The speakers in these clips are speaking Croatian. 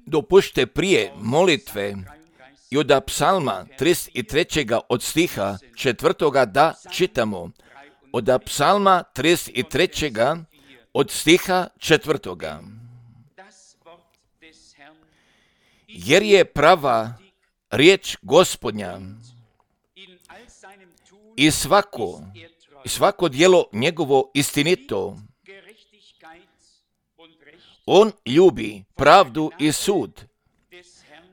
Dopušte prije molitve i od psalma 33. od stiha 4. da čitamo. Od psalma 33. od stiha 4. Jer je prava riječ Gospodnja i svako djelo njegovo istinito. On ljubi pravdu i sud.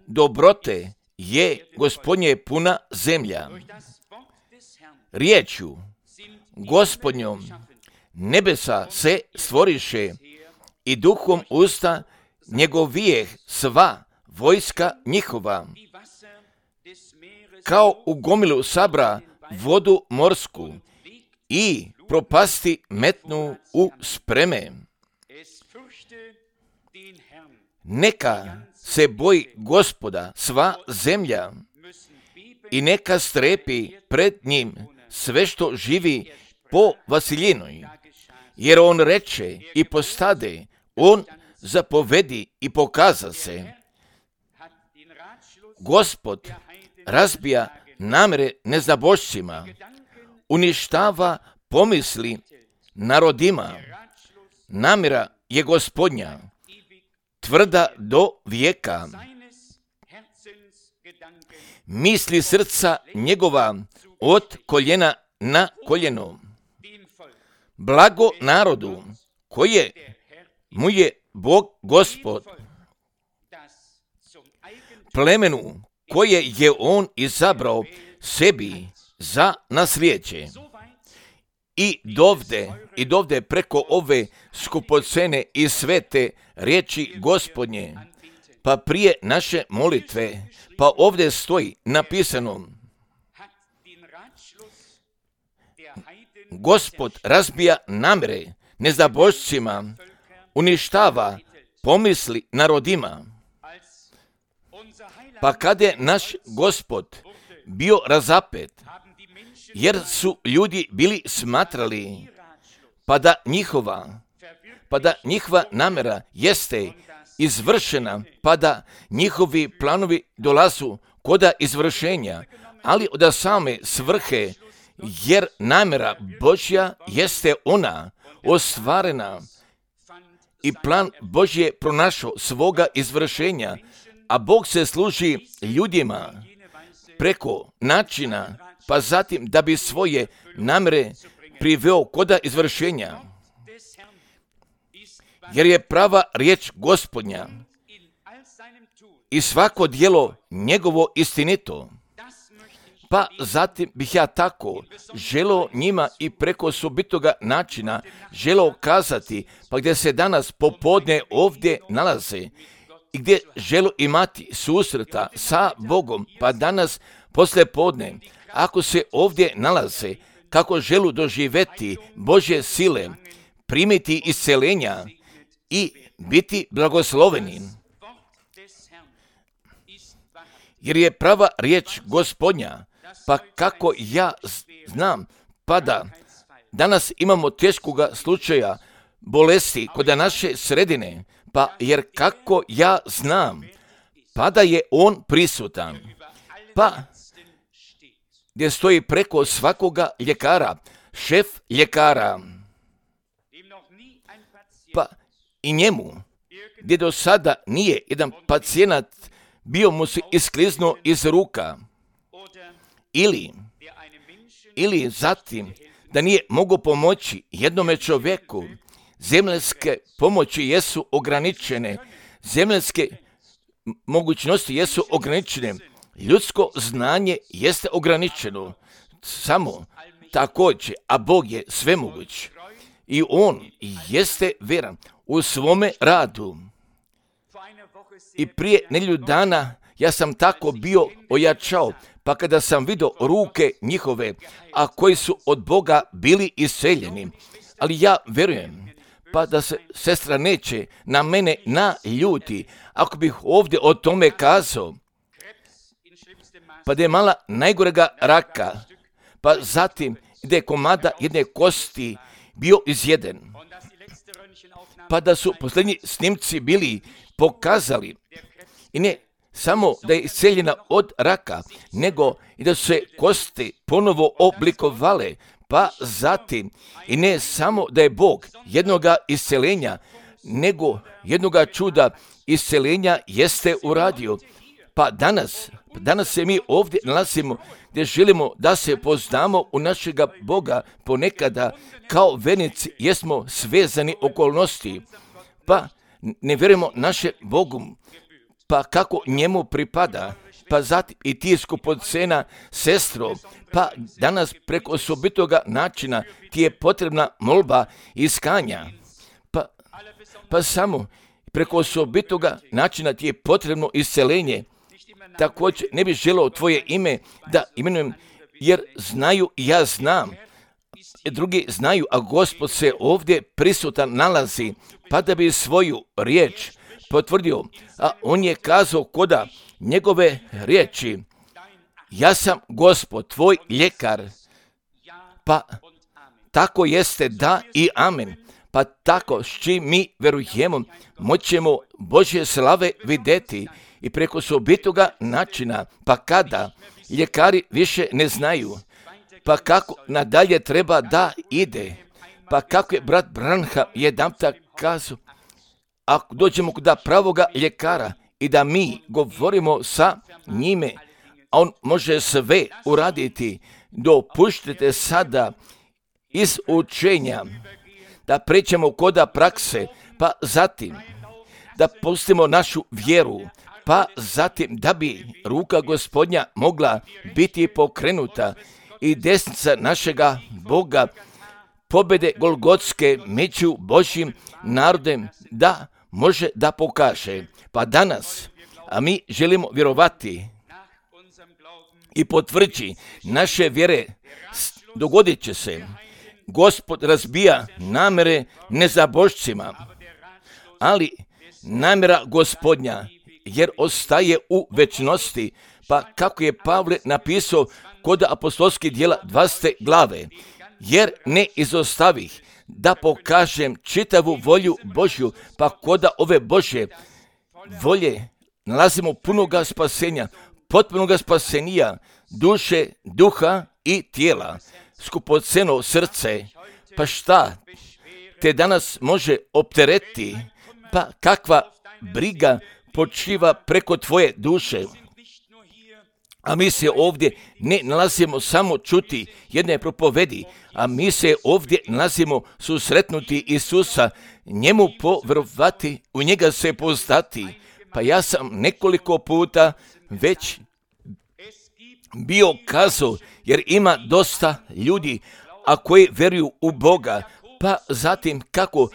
Dobrote je Gospodnje puna zemlja. Riječju Gospodnjom nebesa se stvoriše i duhom usta njegovijeh sva vojska njihova. Kao u gomilu sabra vodu morsku i propasti metnu u spreme. Neka se boji Gospoda sva zemlja i neka strepi pred njim sve što živi po Vasiljinoj. Jer on reče i postade, on zapovedi i pokaza se. Gospod razbija namere nezabošcima, uništava pomisli narodima. Namjera je Gospodnja, tvrda do vijeka. Misli srca njegova od koljena na koljeno. Blago narodu koje mu je Bog Gospod, plemenu koje je on izabrao sebi za nasljeđe. I dovde preko ove skupocene i svete riječi Gospodnje, pa prije naše molitve, pa ovdje stoji napisano: Gospod razbija namjere nezabošcima, uništava pomisli narodima. Pa kad je naš Gospod bio razapet, jer su ljudi bili smatrali, pa da njihova namjera jeste izvršena, pa da njihovi planovi dolazu koda izvršenja, ali od same svrhe, jer namjera Božja jeste ona ostvarena i plan Božje pronašao svoga izvršenja, a Bog se služi ljudima preko načina, pa zatim da bi svoje namjere priveo koda izvršenja. Jer je prava riječ Gospodnja i svako djelo njegovo istinito. Pa zatim bih ja tako želio njima i preko osobitoga načina želio kazati, pa gdje se danas popodne ovdje nalaze i gdje žele imati susreta sa Bogom, pa danas poslije podne, ako se ovdje nalaze, kako želu doživjeti Božje sile, primiti isceljenja i biti blagosloveni. Jer je prava riječ Gospodnja, pa kako ja znam, pa da danas imamo teškoga slučaja bolesti kod naše sredine, pa jer kako ja znam, pa da je on prisutan, pa gdje stoji preko svakoga ljekara, šef ljekara, pa i njemu, gdje do sada nije jedan pacijenat bio mu se iskliznuo iz ruka, ili zatim da nije mogao pomoći jednome čovjeku. Zemaljske pomoći jesu ograničene, zemaljske mogućnosti jesu ograničene, ljudsko znanje jeste ograničeno, samo također, a Bog je svemoguć i on jeste vjeran u svome radu. I prije nedjelju dana ja sam tako bio ojačao, pa kada sam vidio ruke njihove, a koji su od Boga bili isceljeni, ali ja vjerujem, pa da se sestra neće na mene naljuti, ako bih ovdje o tome kazao, pa da je mala najgorega raka, pa zatim da je komada jedne kosti bio izjeden. pa da su posljednji snimci bili pokazali i ne samo da je isceljena od raka, nego i da su se kosti ponovo oblikovale, pa zatim i ne samo da je Bog jednoga isceljenja, nego jednoga čuda isceljenja jeste uradio. Pa danas se mi ovdje nalazimo gdje želimo da se poznamo u našega Boga. Ponekada kao vernici jesmo svezani okolnosti, pa ne vjerujemo naše Bogu, pa kako njemu pripada, pa zatim i ti skupocena sestro, pa danas preko osobitoga načina ti je potrebna molba iskanja, pa samo preko osobitoga načina ti je potrebno isceljenje. Također ne bih želeo tvoje ime da imenujem, jer znaju i ja znam, drugi znaju, a Gospod se ovdje prisutan nalazi, pa da bi svoju riječ potvrdio, a on je kazao koda njegove riječi, ja sam Gospod, tvoj ljekar, pa tako jeste da i amen. Pa tako s čim mi verujemo, moćemo Božje slave vidjeti i preko osobitoga načina, pa kada ljekari više ne znaju, pa kako nadalje treba da ide, pa kako je brat Branham jedanput kazao, ako dođemo kod pravoga ljekara i da mi govorimo sa njime, a on može sve uraditi, dopuštite sada iz učenja da pređemo koda prakse, pa zatim da pustimo našu vjeru, pa zatim da bi ruka Gospodnja mogla biti pokrenuta i desnica našega Boga pobjede Golgotske među Božjim narodem da može da pokaže. Pa danas, a mi želimo vjerovati i potvrđi naše vjere, dogodit će se. Gospod razbija namere nezabožcima, ali namjera Gospodnja, jer ostaje u večnosti, pa kako je Pavle napisao kod apostolskih djela 20. glave, jer ne izostavih da pokažem čitavu volju Božju, pa koda ove Božje volje nalazimo punoga spasenja, potpunoga spasenija, duše, duha i tijela, skupoceno srce, pa šta te danas može opteretiti, pa kakva briga počiva preko tvoje duše. A mi se ovdje ne nalazimo samo čuti jedne propovedi, a mi se ovdje nalazimo susretnuti Isusa, njemu povjerovati, u njega se poznati. Pa ja sam nekoliko puta već bio kazao, jer ima dosta ljudi, a koji vjeruju u Boga, pa zatim kako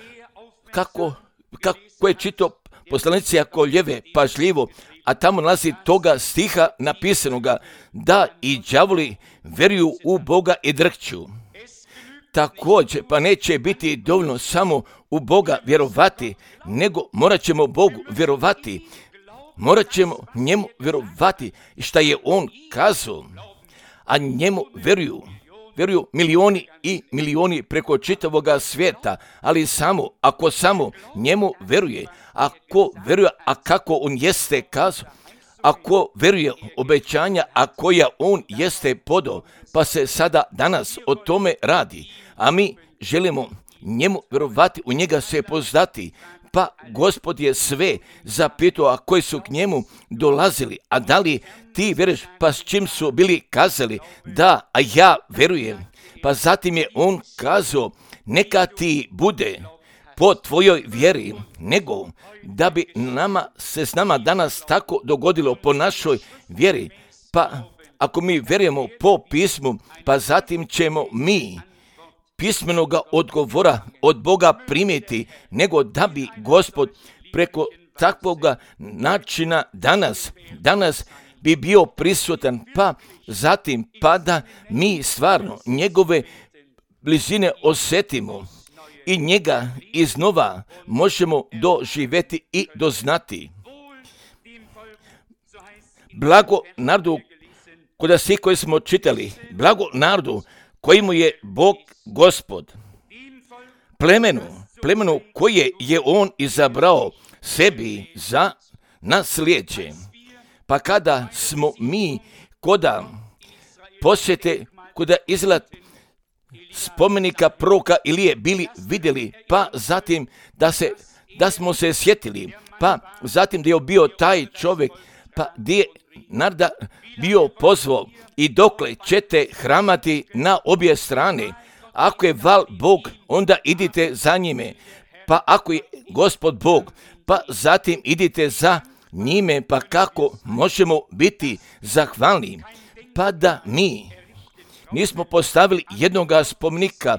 je čitao poslanici Koljeve pažljivo, a tamo nalazi toga stiha napisanoga, da i đavoli vjeruju u Boga i drhću. Također, pa neće biti dovoljno samo u Boga vjerovati, nego morat ćemo Bogu vjerovati. Morat ćemo njemu vjerovati šta je on kazao, a njemu vjeruju milioni i milioni preko čitavoga svijeta, ali ako samo njemu vjeruje, ako vjeruje, a kako on jeste kazao, ako vjeruje obećanja, a koja on jeste podao, pa se sada danas o tome radi, a mi želimo njemu vjerovati, u njega se poznati. Pa Gospod je sve zapitao, a koji su k njemu dolazili, a da li ti vjeruješ, pa s čim su bili kazali, da, a ja vjerujem. Pa zatim je on kazao, neka ti bude po tvojoj vjeri, nego da bi se s nama danas tako dogodilo po našoj vjeri. Pa ako mi vjerujemo po pismu, pa zatim ćemo mi pismenoga odgovora od Boga primiti, nego da bi Gospod preko takvoga načina danas bi bio prisutan, pa zatim pa da mi stvarno njegove blizine osjetimo i njega iznova možemo doživjeti i doznati. Blago narodu, koda svi koji smo čitali, blago narodu koji mu je Bog Gospod, plemenu plemenu koje je on izabrao sebi za nasljeđe. Pa kada smo mi koda posjete, koda izgled spomenika proroka Ilije bili vidjeli, pa zatim da smo se sjetili, pa zatim da je bio taj čovjek, pa gdje je narod bio pozvao i dokle ćete hramati na obje strane. Ako je val Bog, onda idite za njime, pa ako je Gospod Bog, pa zatim idite za njime, pa kako možemo biti zahvalni? Pa da mi nismo postavili jednoga spomenika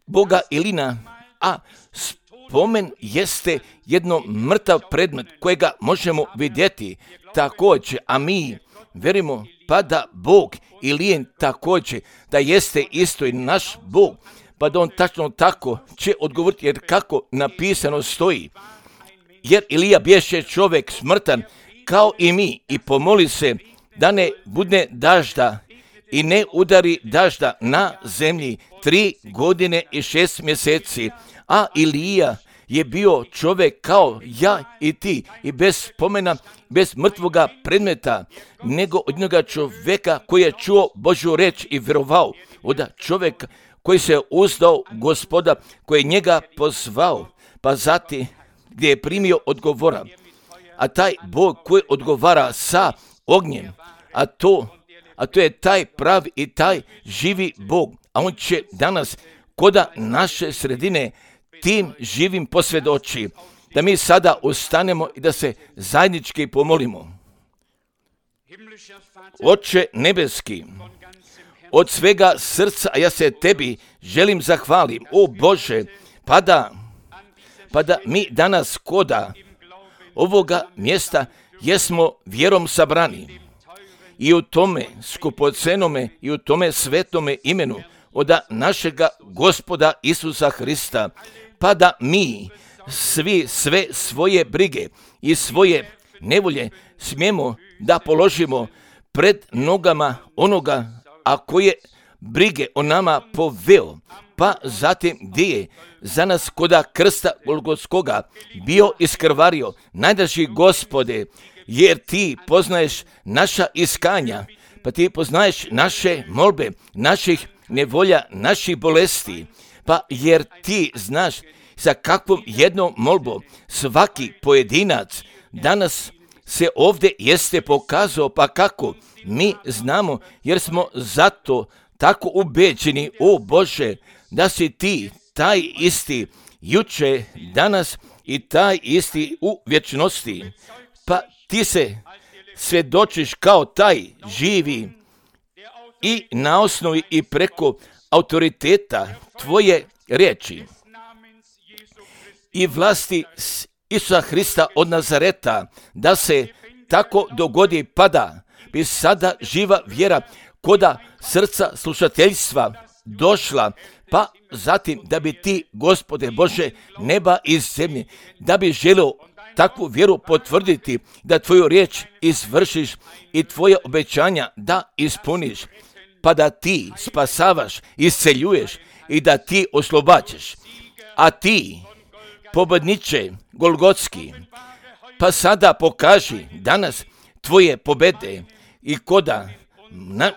Boga Ilina, a spomen jeste jedno mrtav predmet kojega možemo vidjeti također, a mi verimo pa da Bog Ilijen također, da jeste isto i naš Bog, pa da on tačno tako će odgovoriti, jer kako napisano stoji. Jer Ilija bješe čovjek smrtan kao i mi i pomoli se da ne bude dažda i ne udari dažda na zemlji 3 godine i 6 mjeseci, a Ilija je bio čovjek kao ja i ti i bez spomena, bez mrtvoga predmeta, nego od jednoga čovjeka koji je čuo Božju reč i vjerovao, od čovjeka koji se uzdao Gospoda, koji je njega pozvao, pa zatim gdje je primio odgovora. A taj Bog koji odgovara sa ognjem, a to je taj pravi i taj živi Bog, a on će danas koda naše sredine tim živim posvjedoči, da mi sada ustanemo i da se zajednički pomolimo. Oče nebeski, od svega srca ja se tebi želim zahvalim, o Bože, pa da mi danas koda ovoga mjesta jesmo vjerom sabrani i u tome skupocenome i u tome svetome imenu od našega Gospoda Isusa Hrista, pa da mi sve svoje brige i svoje nevolje smijemo da položimo pred nogama onoga, a koje brige o nama poveo, pa zatim gdje je za nas koda krsta Golgotskoga bio iskrvario, najdraži Gospode, jer ti poznaješ naša iskanja, pa ti poznaješ naše molbe, naših nevolja, naših bolesti, pa jer ti znaš sa kakvom jednom molbom svaki pojedinac danas se ovdje jeste pokazao, pa kako mi znamo, jer smo zato tako ubeđeni, o Bože, da si ti taj isti juče, danas i taj isti u vječnosti, pa ti se svjedočiš kao taj živi i na osnovi i preko autoriteta tvoje riječi i vlasti Isusa Hrista od Nazareta, da se tako dogodi, pa da bi sada živa vjera koda srca slušateljstva došla, pa zatim da bi ti, Gospode Bože, neba i zemlje, da bi želio takvu vjeru potvrditi, da tvoju riječ izvršiš i tvoje obećanja da ispuniš, pa da ti spasavaš, isceljuješ i da ti oslobađaš. A ti, pobjedniče Golgotski, pa sada pokaži danas tvoje pobjede i koda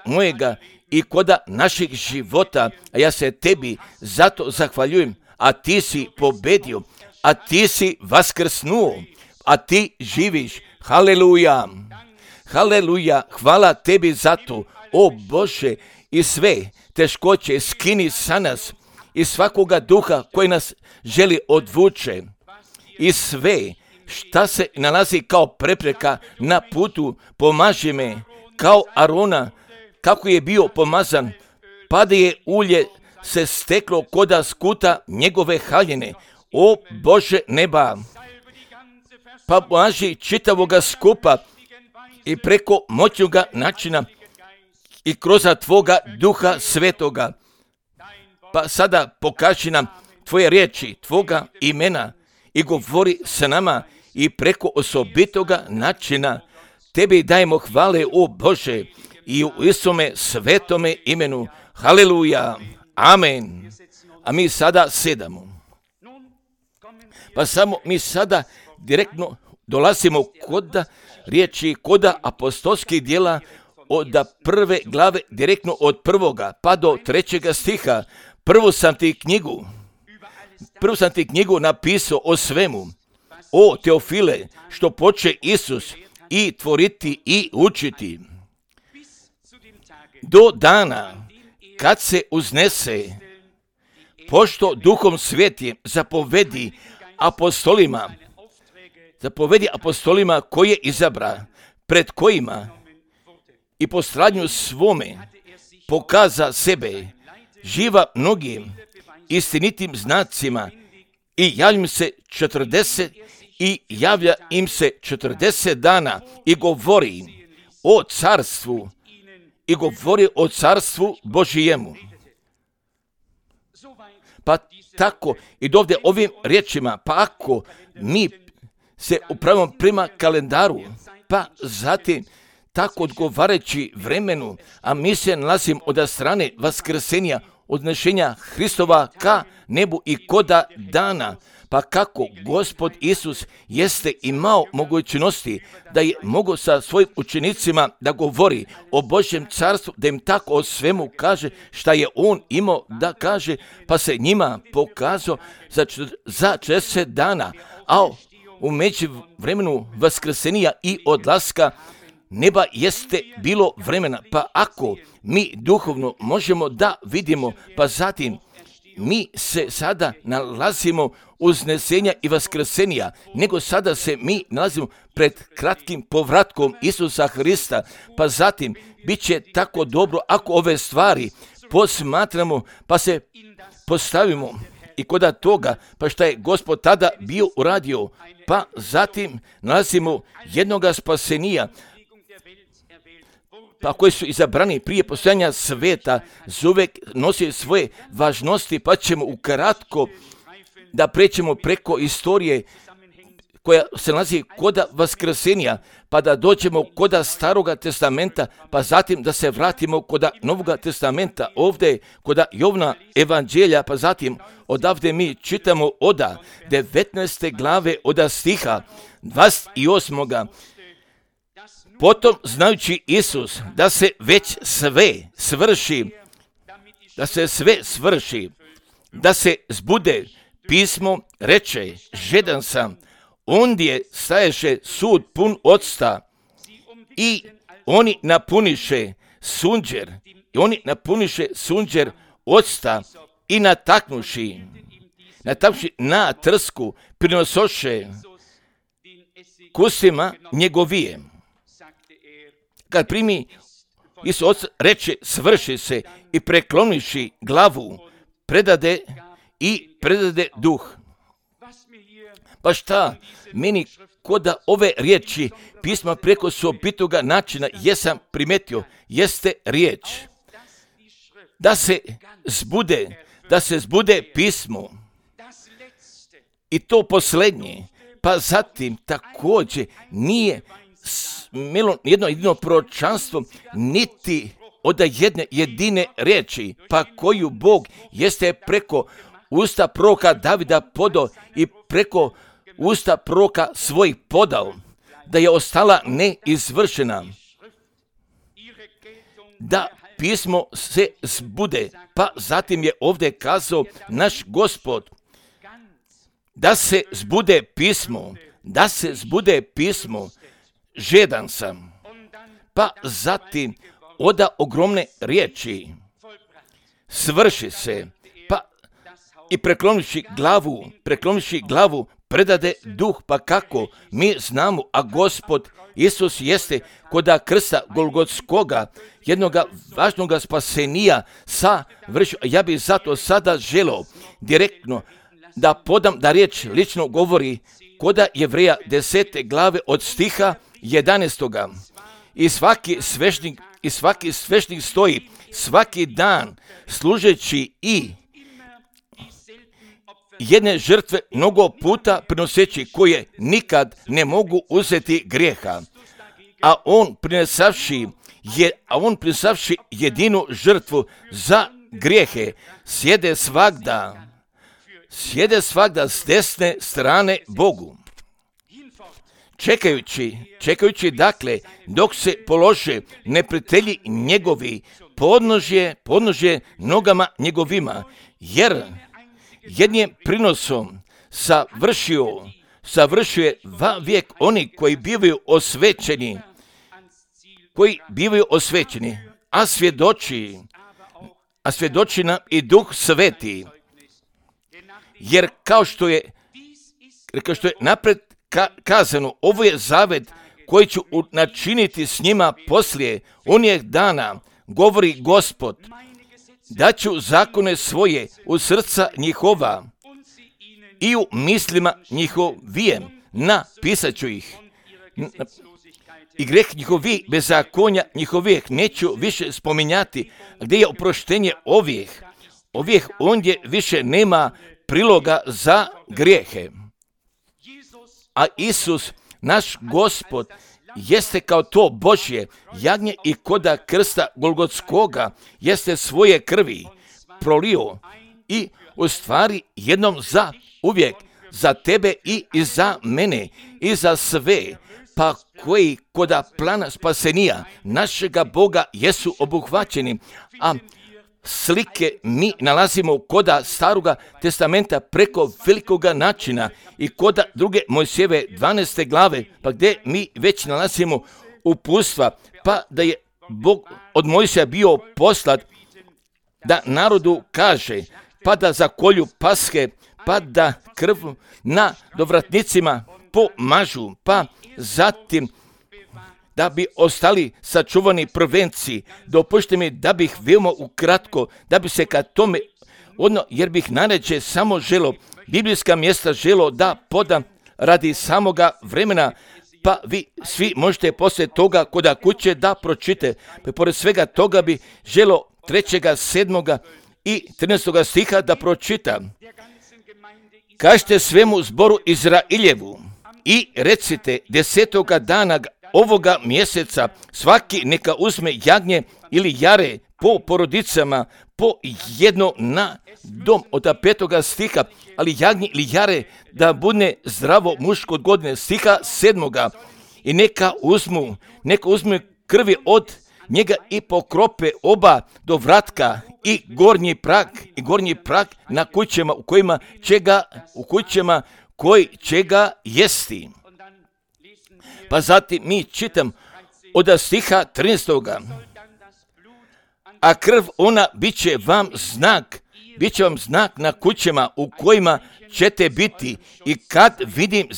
mojega i koda naših života, a ja se tebi zato zahvaljujem, a ti si pobjedio, a ti si vaskrsnuo, a ti živiš. Haleluja, haleluja, hvala tebi za to, o Bože, i sve teškoće skini sa nas i svakoga duha koji nas želi odvuče i sve šta se nalazi kao prepreka na putu, pomaži me kao Arona, kako je bio pomazan, pa da je ulje se steklo koda skuta njegove haljine, o Bože neba, pa pomaži čitavoga skupa i preko moćnoga načina i kroz tvoga duha svetoga, pa sada pokaži nam tvoje riječi, tvoga imena i govori sa nama i preko osobitoga načina. Tebi dajemo hvale, o Bože, i u Isome svetome imenu. Haleluja, amen. A mi sada sedamo. Pa samo mi sada direktno dolazimo kod riječi, kod apostolskih djela od prve glave, direktno od 1. pa do 3. stiha. Prvu sam ti knjigu napisao o svemu, o Teofile, što poče Isus i tvoriti i učiti, do dana kad se uznese, pošto Duhom Svetim zapovedi apostolima koje izabra, pred kojima i po stradnju svome pokaza sebe, živa mnogim istinitim znacima i javlja im se 40 dana i govori o carstvu Božijemu. Pa tako i dovde ovim riječima, pa ako mi se upravimo prema kalendaru, pa zatim tako odgovarajući vremenu, a mi se nalazimo od strane vaskrsenja, odnešenja Hristova ka nebu i koda dana, pa kako Gospod Isus jeste imao mogućnosti da je mogao sa svojim učenicima da govori o Božjem carstvu, da im tako o svemu kaže šta je on imao da kaže, pa se njima pokazao za 40 dana, a u međuvremenu vaskrsenja i odlaska neba jeste bilo vremena. Pa ako mi duhovno možemo da vidimo, pa zatim mi se sada nalazimo uznesenja i vaskrsenja, nego sada se mi nalazimo pred kratkim povratkom Isusa Hrista, pa zatim bit će tako dobro ako ove stvari posmatramo, pa se postavimo i kod toga, pa šta je Gospod tada bio uradio, pa zatim nalazimo jednoga spasenija, pa koji su izabrani prije postojanja sveta, zauvek nosi svoje važnosti, pa ćemo ukratko da prećemo preko istorije koja se nalazi koda vaskrsenja, pa da dođemo koda Staroga testamenta, pa zatim da se vratimo koda Novoga testamenta, ovdje koda Jovna evanđelja, pa zatim odavde mi čitamo od 19. glave od stiha 28. Potom, znajući Isus da se već sve svrši, da se zbude pismo, reče, žedan sam, ondje staješe sud pun octa i oni napuniše sunđer octa i nataknuši na trsku prinosoše kusima njegovije. Kad primi Isus reče svrši se i prekloniši glavu, predade duh. Pa šta meni koda ove riječi pisma preko sobitoga načina jesam primetio, jeste riječ da se zbude pismo i to posljednje, pa zatim također nije imelo jedno proročanstvo niti od jedne jedine riječi, pa koju Bog jeste preko usta proroka Davida podao i preko usta proroka svojih podao, da je ostala neizvršena, da pismo se zbude, pa zatim je ovdje kazao naš Gospod, da se zbude pismo, žedan sam, pa zatim oda ogromne riječi, svrši se, pa i preklonivši glavu, predade duh, pa kako mi znamo, a Gospod Isus jeste koda krsta Golgotskoga, jednoga važnoga spasenija savršio. Ja bih zato sada želeo direktno da podam da riječ lično govori koda Jevreja 10. glave od stiha 11. I svaki svešnik stoji svaki dan služeći i jedne žrtve mnogo puta prinoseći koje nikad ne mogu uzeti grijeha, a on prinesavši jedinu žrtvu za grijehe sjede sjede svagda s desne strane Bogu. Čekajući dakle, dok se polože neprijatelji njegovi, podnožje nogama njegovima, jer jednim prinosom savršuje vijek oni koji bivaju osvećeni, a svjedoči nam i Duh Sveti, jer kao što je napred kazano, ovo je zavet koji ću načiniti s njima poslije onih dana, govori Gospod, da ću zakone svoje u srca njihova i u mislima njihovijem napisat ću ih. I greh njihovi, bezakonja njihovih neću više spominjati, gdje je oproštenje ovih ondje više nema priloga za grijehe. A Isus, naš Gospod, jeste kao to Božje jagnje i koda krsta Golgotskoga jeste svoje krvi prolio i u stvari jednom za uvijek, za tebe i za mene i za sve, pa koji koda plana spasenija našega Boga jesu obuhvaćeni, a slike mi nalazimo koda Staroga testamenta preko velikoga načina i koda druge Mojsijeve 12. glave, pa gdje mi već nalazimo uputstva, pa da je Bog od Mojsija bio poslat da narodu kaže, pa da zakolju paske, pa da krv na dovratnicima pomažu, pa zatim da bi ostali sačuvani prvenci. Dopušte mi da bih veoma ukratko, da bi se ka tome jer bih najrađe samo biblijska mjesta da podam radi samoga vremena, pa vi svi možete poslije toga koda kuće da pročite. Pa pored svega toga bi 3., 7. i 13. stiha da pročita. Kažite svemu zboru Izrailjevu i recite 10. dana ovoga mjeseca svaki neka uzme jagnje ili jare po porodicama, po jedno na dom, od 5. stiha, ali jagnje ili jare da bude zdravo muško od godine, stiha 7. I neka uzmu krvi od njega i pokrope oba do vratka i gornji prag na kućama koji će ga jesti. Pa zatim mi čitam od stiha 13. A krv ona bit će vam znak na kućama u kojima ćete biti i kad vidim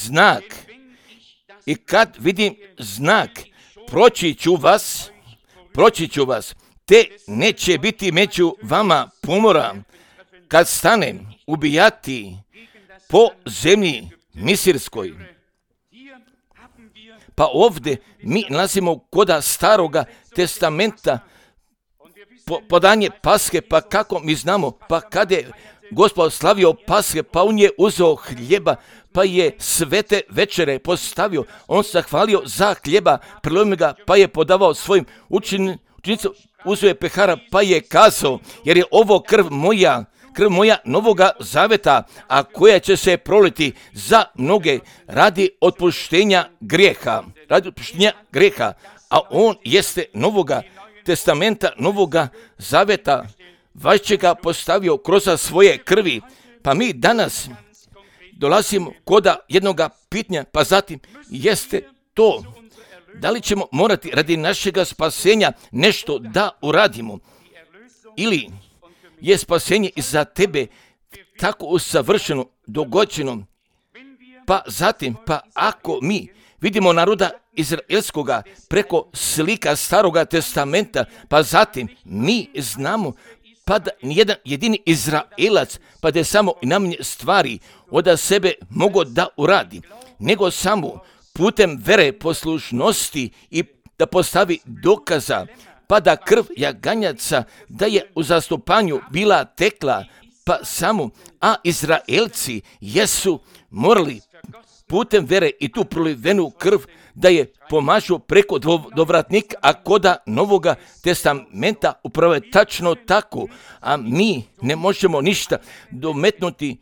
znak, proći ću vas, te neće biti među vama pomora, kad stanem ubijati po zemlji misirskoj. Pa ovdje mi nalazimo koda Staroga testamenta podanje Paske, pa kako mi znamo, pa kad je Gospod slavio Paske, pa on je uzeo hljeba, pa je svete večere postavio, on se hvalio za hljeba, prelomio ga, pa je podavao svojim učenicima, uzeo je pehara, pa je kazao, jer je ovo krv moja novoga zaveta, a koja će se proliti za mnoge radi otpuštenja grijeha, a on jeste novoga testamenta, novoga zaveta, vašćega postavio kroz svoje krvi. Pa mi danas dolazimo koda jednoga pitanja, pa zatim jeste to, da li ćemo morati radi našega spasenja nešto da uradimo, ili je spasenje za tebe tako usavršeno, dogođeno. Pa zatim, ako mi vidimo naroda izraelskoga preko slika Staroga testamenta, pa zatim mi znamo pa da nijedan jedini Izraelac, pa da je samo namnje stvari od sebe mogo da uradi, nego samo putem vere, poslušnosti i da postavi dokaza, pa da krv jaganjaca da je u zastupanju bila tekla, pa samo, a Izraelci jesu morali putem vere i tu prolivenu krv da je pomažu preko dovratnika, a koda Novoga testamenta upravo je tačno tako, a mi ne možemo ništa dometnuti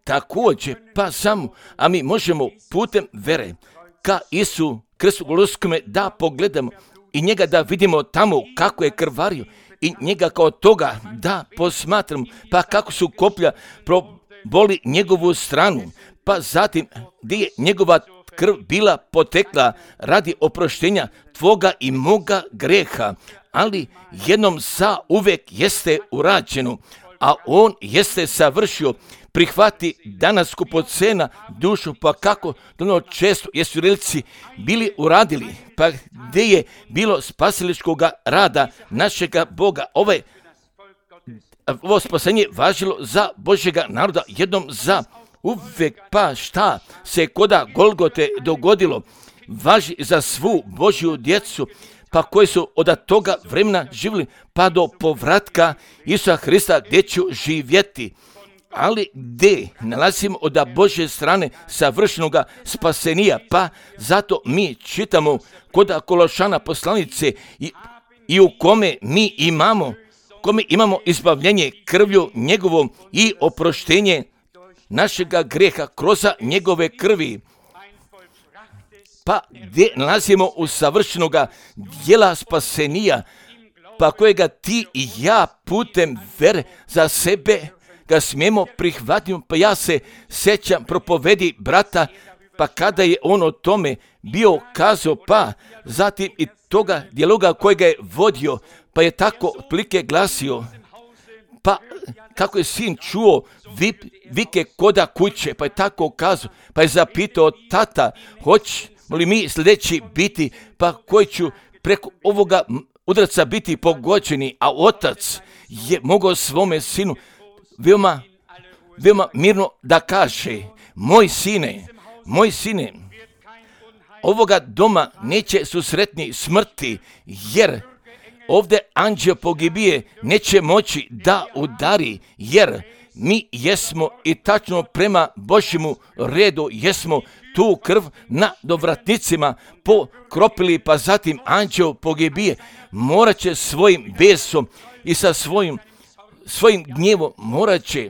također, pa samo, a mi možemo putem vere ka Isu Kristu Golgotskome da pogledamo i njega da vidimo tamo kako je krvario i njega kao toga da posmatramo, pa kako su koplja proboli njegovu stranu, pa zatim gdje je njegova krv bila potekla radi oproštenja tvoga i moga greha, ali jednom zauvek jeste urađeno, a on jeste savršio. Prihvati danas skupocena dušu, pa kako ono često jesu relici bili uradili, pa gdje je bilo spasiličkoga rada našega Boga. Ovo spasenje važilo za Božjega naroda jednom za uvek, pa šta se koda Golgote dogodilo, važi za svu Božju djecu, pa koji su od toga vremena živjeli, pa do povratka Isusa Hrista gdje ću živjeti. Ali gdje nalazimo od Božje strane savršenoga spasenija, pa zato mi čitamo kod Kološana poslanice i u kome mi imamo izbavljenje krvlju njegovom i oproštenje našega greha kroz njegove krvi. Pa gdje nalazimo u savršenoga djela spasenija, pa kojega ti i ja putem vere za sebe ga smijemo prihvatiti. Pa ja se sjećam propovedi brata, pa kada je on o tome bio kazao, pa zatim i toga dijaloga kojega je vodio, pa je tako otprilike glasio, pa kako je sin čuo vike koda kuće, pa je tako kazao, pa je zapitao tata, hoćemo li mi sljedeći biti, pa koji ću preko ovoga udarca biti pogođeni, a otac je mogao svome sinu veoma mirno da kaže, moj sine, ovoga doma neće susretni smrti, jer ovdje anđeo pogibije neće moći da udari, jer mi jesmo i tačno prema Božjemu redu jesmo tu krv na dovratnicima pokropili, pa zatim anđeo pogibije morat će svojim besom i sa svojim gnjevom morat će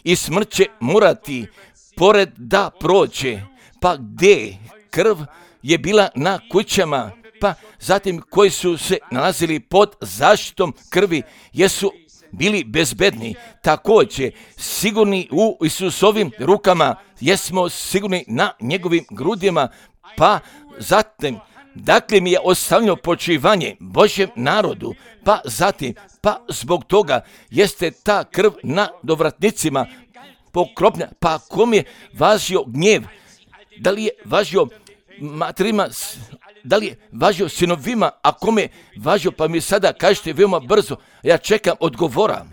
i smrt će morati pored da prođe. Pa gdje krv je bila na kućama, pa zatim koji su se nalazili pod zaštitom krvi jesu bili bezbedni, također sigurni u Isusovim rukama, jesmo sigurni na njegovim grudima, pa zatim dakle mi je ostavljeno počivanje Božjem narodu, pa zatim, pa zbog toga jeste ta krv na dovratnicima pokropna, pa kom je važio gnjev, da li je važio materima, da li je važio sinovima, a kome je važio, pa mi sada kažete veoma brzo, ja čekam odgovora.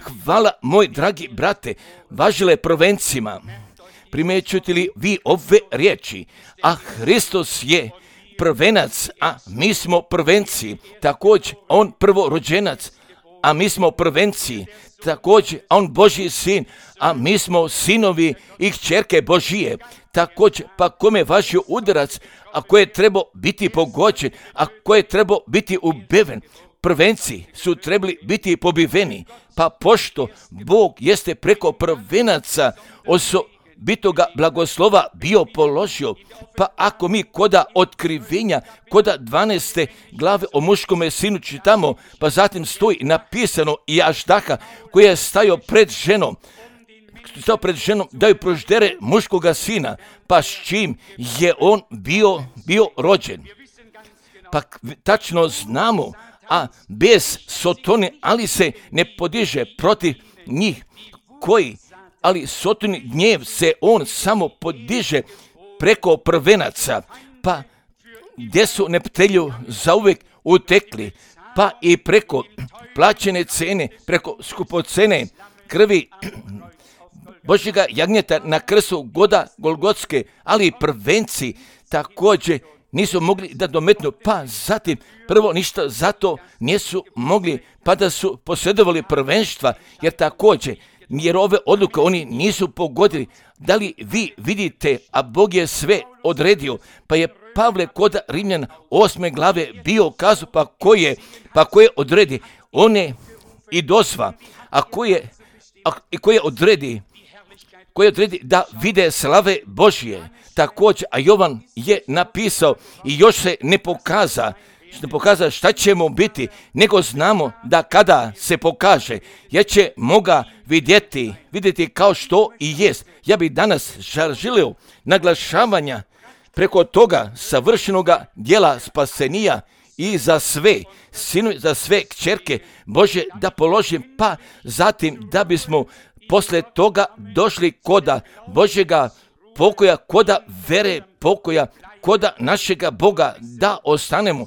Hvala, moj dragi brate, važile prvencima. Primećujete li vi ove riječi? A Hristos je prvenac, a mi smo prvenci. Također, on prvorođenac, a mi smo prvenci. Također, on Božji sin, a mi smo sinovi i kćerke Božije. Također, pa kome je važio udarac, a koje je trebao biti pogođen, a koje je trebao biti ubiven. Prvenci su trebali biti pobiveni, pa pošto Bog jeste preko prvenaca osobitoga blagoslova bio položio, pa ako mi koda otkrivenja, koda 12. glave o muškome sinu čitamo, pa zatim stoji napisano i Aždaha koji je stajao pred ženom, daju proždere muškoga sina, pa s čim je on bio rođen. Pa tačno znamo, a bez Sotone, ali se ne podiže protiv njih ali Sotoni gnjev se on samo podiže preko prvenaca, pa gdje su neptelju zauvek utekli, pa i preko plaćene cene, preko skupocene krvi Božjega jagnjeta na krstu goda Golgotske, ali i prvenci također nisu mogli da dometnu, pa zatim prvo ništa zato nisu mogli, pa da su posjedovali prvenstva, jer ove odluke oni nisu pogodili. Da li vi vidite, a Bog je sve odredio, pa je Pavle kod Rimljana 8. glave bio kazao, pa ko je odredi, on je i dozva, a ko je odredi, koji odredi da vide slave Božje. Također, a Jovan je napisao i još se ne pokaza šta ćemo biti, nego znamo da kada se pokaže, jer ćemo ga vidjeti kao što i jest. Ja bih danas želio naglašavanja preko toga savršenoga djela spasenija i za sve sinove, za sve kćerke Bože da položim, pa zatim da bismo poslije toga došli koda Božjega pokoja, koda vere pokoja, koda našega Boga da ostanemo.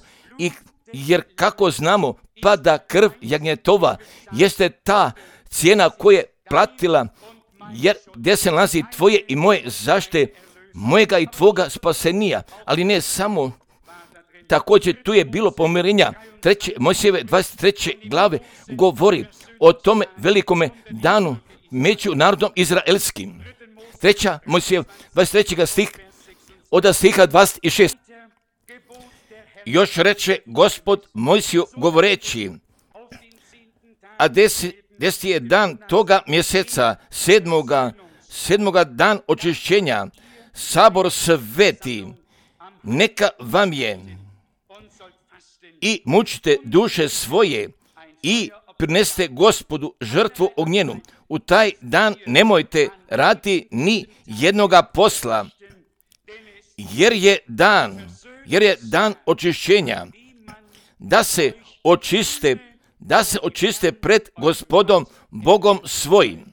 Jer kako znamo, pa da krv jagnjetova jeste ta cijena koja je platila, jer gdje se nalazi tvoje i moje zaštite, mojega i tvoga spasenija, ali ne samo. Također tu je bilo pomirenja. Mojsijeve 23. glave govori o tome velikome danu među narodom izraelskim. 3. Mojsijev 23. stih od stiha 26. Još reče Gospod Mojsiju govoreći, a 10. je dan toga mjeseca, sedmoga dan očišćenja, sabor sveti, neka vam je i mučite duše svoje i prinesite Gospodu žrtvu ognjenu. U taj dan nemojte raditi ni jednoga posla, jer je dan očišćenja, da se očiste pred Gospodom Bogom svojim.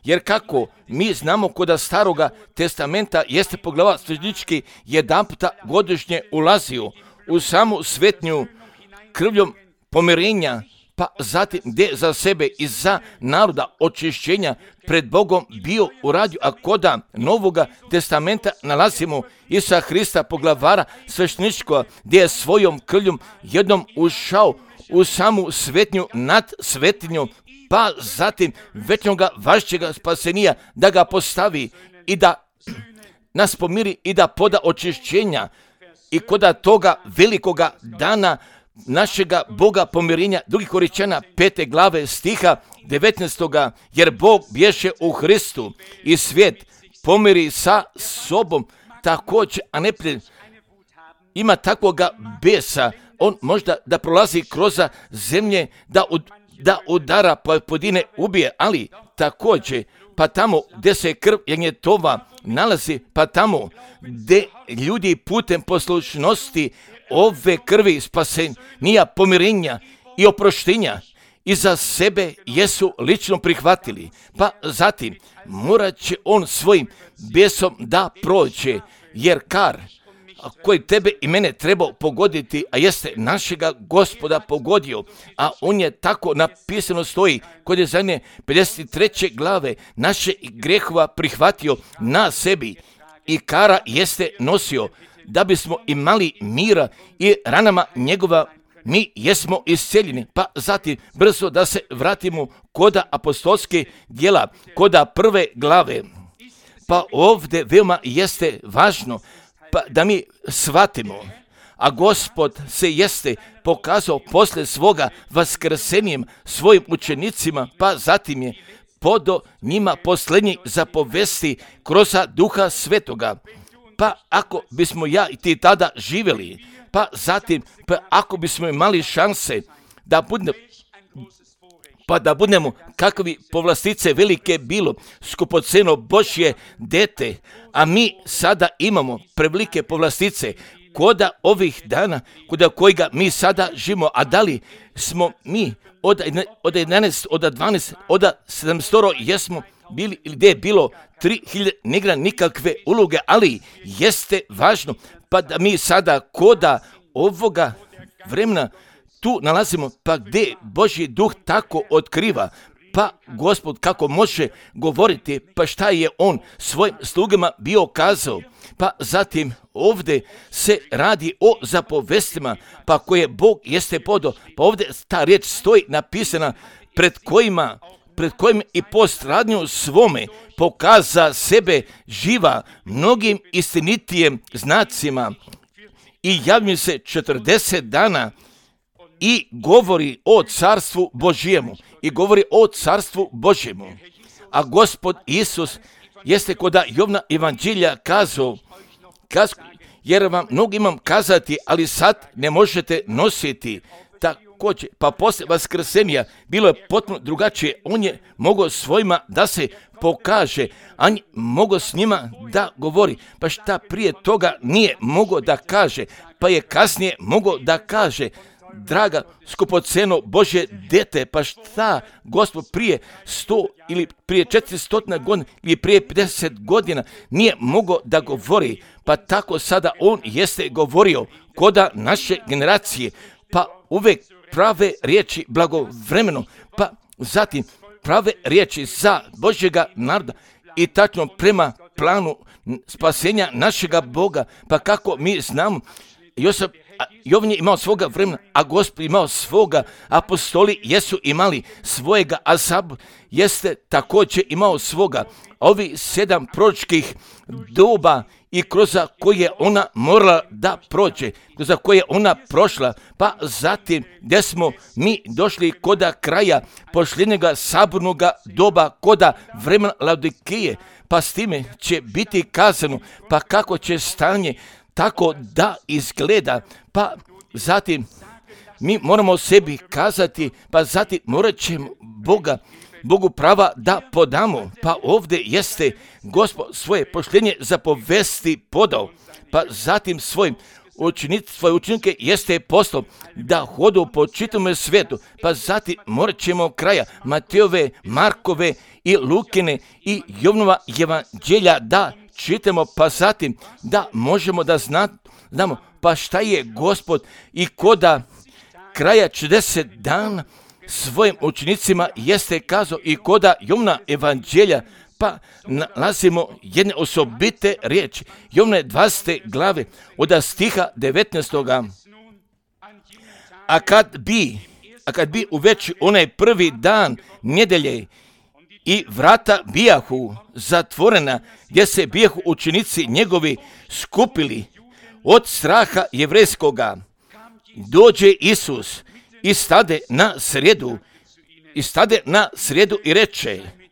Jer kako mi znamo kod Staroga testamenta jeste poglava svećnički jedanputa godišnje ulazio u samu svetnju krvljom pomirenja, pa zatim gdje za sebe i za naroda očišćenja pred Bogom bio uradio, a koda Novoga testamenta nalazimo Isusa Hrista poglavara svećničkoga, gdje je svojom krvljom jednom ušao u samu svetnju nad svetinjom, pa zatim večnoga vašćega spasenija da ga postavi i da nas pomiri i da poda očišćenja i koda toga velikoga dana našega Boga pomirenja, 2. Korinćana 5. glave stiha 19. jer Bog bješe u Hristu i svijet pomiri sa sobom također, a ne ima takvoga besa, on možda da prolazi kroz zemlje, da udara pojedine ubije, ali također pa tamo gdje se krv jagnjetova nalazi, pa tamo gdje ljudi putem poslušnosti ove krvi spasenija, pomirenja i oproštenja i za sebe jesu lično prihvatili, pa zatim morat će on svojim besom da prođe, jer kar koji tebe i mene trebao pogoditi, a jeste našega Gospoda pogodio, a on je tako napisano stoji kod Jesaje 53. glave naše grehova prihvatio na sebi i kara jeste nosio, da bismo imali mira i ranama njegova mi jesmo isceljeni. Pa zatim brzo da se vratimo koda apostolske djela, koda 1. glave. Pa ovdje veoma jeste važno pa da mi shvatimo, a Gospod se jeste pokazao posle svoga vaskrsenjem svojim učenicima, pa zatim je podo njima posljednji zapovesti kroz Duha Svetoga. Pa ako bismo ja i ti tada živjeli, pa zatim ako bismo imali šanse da budemo kakvi povlastice velike bilo, skupoceno Božje dete, a mi sada imamo prevelike povlastice koda ovih dana, koda kojega mi sada živimo, a da li smo mi od 11, od 12, od 700 jesmo bili ili gdje je bilo 3000, ne igra nikakve uloge, ali jeste važno pa da mi sada koda ovoga vremena tu nalazimo, pa gdje Božji duh tako otkriva, pa Gospod kako može govoriti, pa šta je on svojim slugama bio kazao, pa zatim ovdje se radi o zapovestima, pa koje Bog jeste podao, pa ovdje ta riječ stoji napisana pred kojim i postradnju svome pokaza sebe živa mnogim istinitijem znacima i javlja se 40 dana i govori o carstvu Božjemu. a Gospod Isus jeste kod Jovna evanđelja kazao, jer vam mnogo imam kazati, ali sad ne možete nositi. Također, pa poslije vaskrsenja bilo je potpuno drugačije. On je mogao svojima da se pokaže, a mogao s njima da govori. Pa šta prije toga nije mogao da kaže, pa je kasnije mogao da kaže. Draga, skupoceno Božje dete, pa šta Gospod prije 100 ili prije 400 godina ili prije 50 godina nije mogao da govori, pa tako sada on jeste govorio koda naše generacije, pa uvek prave riječi blagovremeno, pa zatim prave riječi za Božjega naroda i tačno prema planu spasenja našega Boga, pa kako mi znamo, Jovan je imao svoga vremena, a Gospod imao svoga, apostoli jesu imali svojega, a Sab jeste također imao svoga. Ovi 7 proročkih doba i kroz koje ona morala da prođe, kroz koje ona prošla, pa zatim gdje smo mi došli koda kraja posljednjega sabornog doba, koda vremena Laodikije, pa s time će biti kazano, pa kako će stanje tako da izgleda, pa zatim mi moramo sebi kazati, pa zatim morat ćemo Bogu prava da podamo, pa ovdje jeste Gospod svoje poštenje zapovesti podao, pa zatim svoje učenike jeste poslao da hodu po čitavom svijetu, pa zatim morat ćemo kraja Matejove, Markove i Lukine i Jovnova evanđelja da čitamo, pa zatim da možemo da znamo pa šta je Gospod i koda kraja 40 dana svojim učenicima jeste kazao i koda Jovna evanđelja, pa nalazimo jedne osobite riječi. Jovne 20. glave od stiha 19. A kad bi uveče onaj prvi dan nedjelje i vrata bijahu zatvorena, gdje se bijahu učenici njegovi skupili od straha jevrejskoga, dođe Isus i stade na sredu i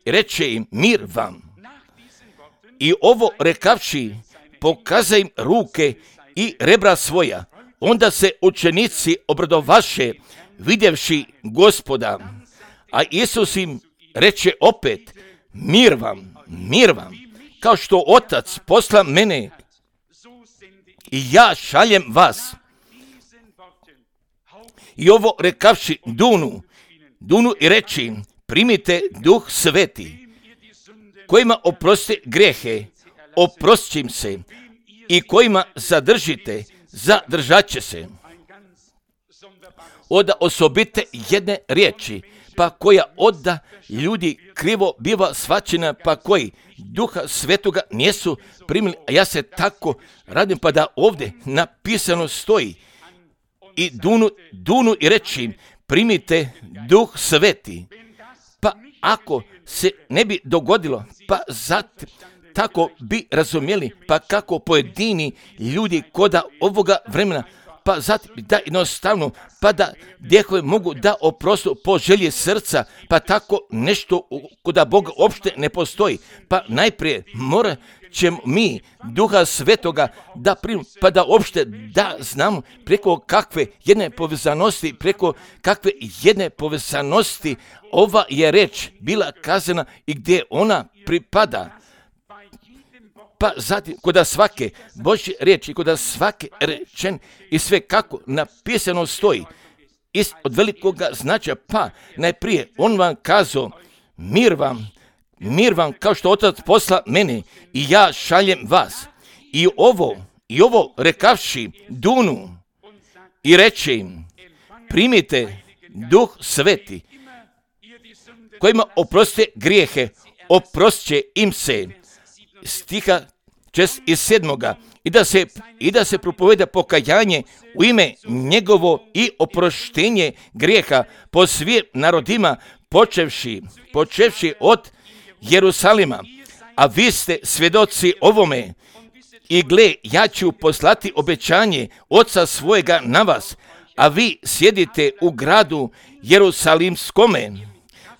reče im mir vam. I ovo rekavši, pokaza im ruke i rebra svoja. Onda se učenici obradovaše vidjevši Gospoda, a Isus im reče opet, mir vam, kao što Otac posla mene i ja šaljem vas. I ovo rekavši dunu i reči, primite Duh Sveti, kojima oprostite grijehe, oprostit im se, i kojima zadržite, zadržat će se. Oda osobite jedne riječi, pa koja odda ljudi krivo biva shvaćena, pa koji Duha Svetoga nisu primili, a ja se tako radim, pa da ovdje napisano stoji i dunu i reći primite Duh Sveti. Pa ako se ne bi dogodilo, pa zatim tako bi razumjeli, pa kako pojedini ljudi koda ovoga vremena, pa zatim da jednostavno, pa da djehove mogu da oprostu po želji srca, pa tako nešto koda Boga uopšte ne postoji. Pa najprije morat ćemo mi Duha Svetoga da primimo, pa da uopšte da znamo preko kakve jedne povezanosti ova je reč bila kazana i gdje ona pripada. Pa zatim, koda svake Božje riječi, koda svake rečen i sve kako napisano stoji, od velikoga značaja, pa najprije on vam kazao, mir vam kao što Otac posla mene i ja šaljem vas. I ovo rekavši dunu i reče im, primite Duh Sveti, kojima oprostite grijehe, oprostit će im se. Stiha 7. I da se propoveda pokajanje u ime njegovo i oproštenje grijeha po svim narodima, počevši od Jerusalima. A vi ste svjedoci ovome. I gle, ja ću poslati obećanje Oca svojega na vas, a vi sjedite u gradu Jerusalimskome.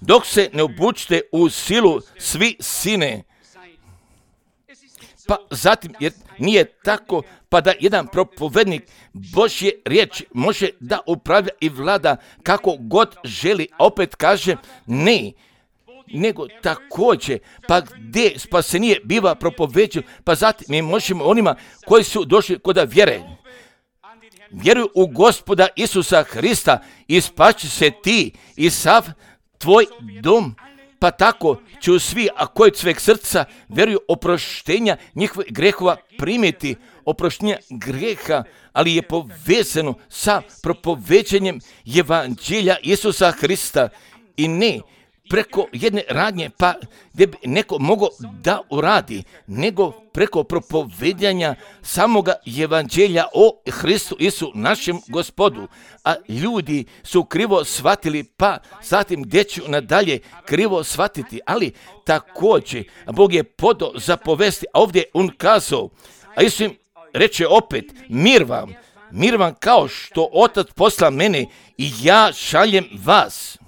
dok se ne obučite u silu svi sine. Pa zatim, jer nije tako, pa da jedan propovednik Božje riječi može da upravlja i vlada kako god želi, a opet kaže ne, nego također, pa gdje spasenije biva propoveđen, pa zatim mi možemo onima koji su došli kod vjere. Vjeruju u Gospoda Isusa Hrista i spašće se ti i sav tvoj dom. Pa tako će svi, a koji od sveg srca vjeruju oproštenja njihovih grehova primiti, oproštenja greha, ali je povezano sa propoveđenjem evanđelja Isusa Hrista i ne preko jedne radnje, pa gdje bi neko mogao da uradi, nego preko propovedanja samoga evanđelja o Hristu Isu, našem Gospodu. A ljudi su krivo shvatili, pa zatim gdje ću nadalje krivo shvatiti, ali također Bog je podao za povesti, a ovdje on kazao, a Isus im reče opet, mir vam kao što Otac posla mene i ja šaljem vas.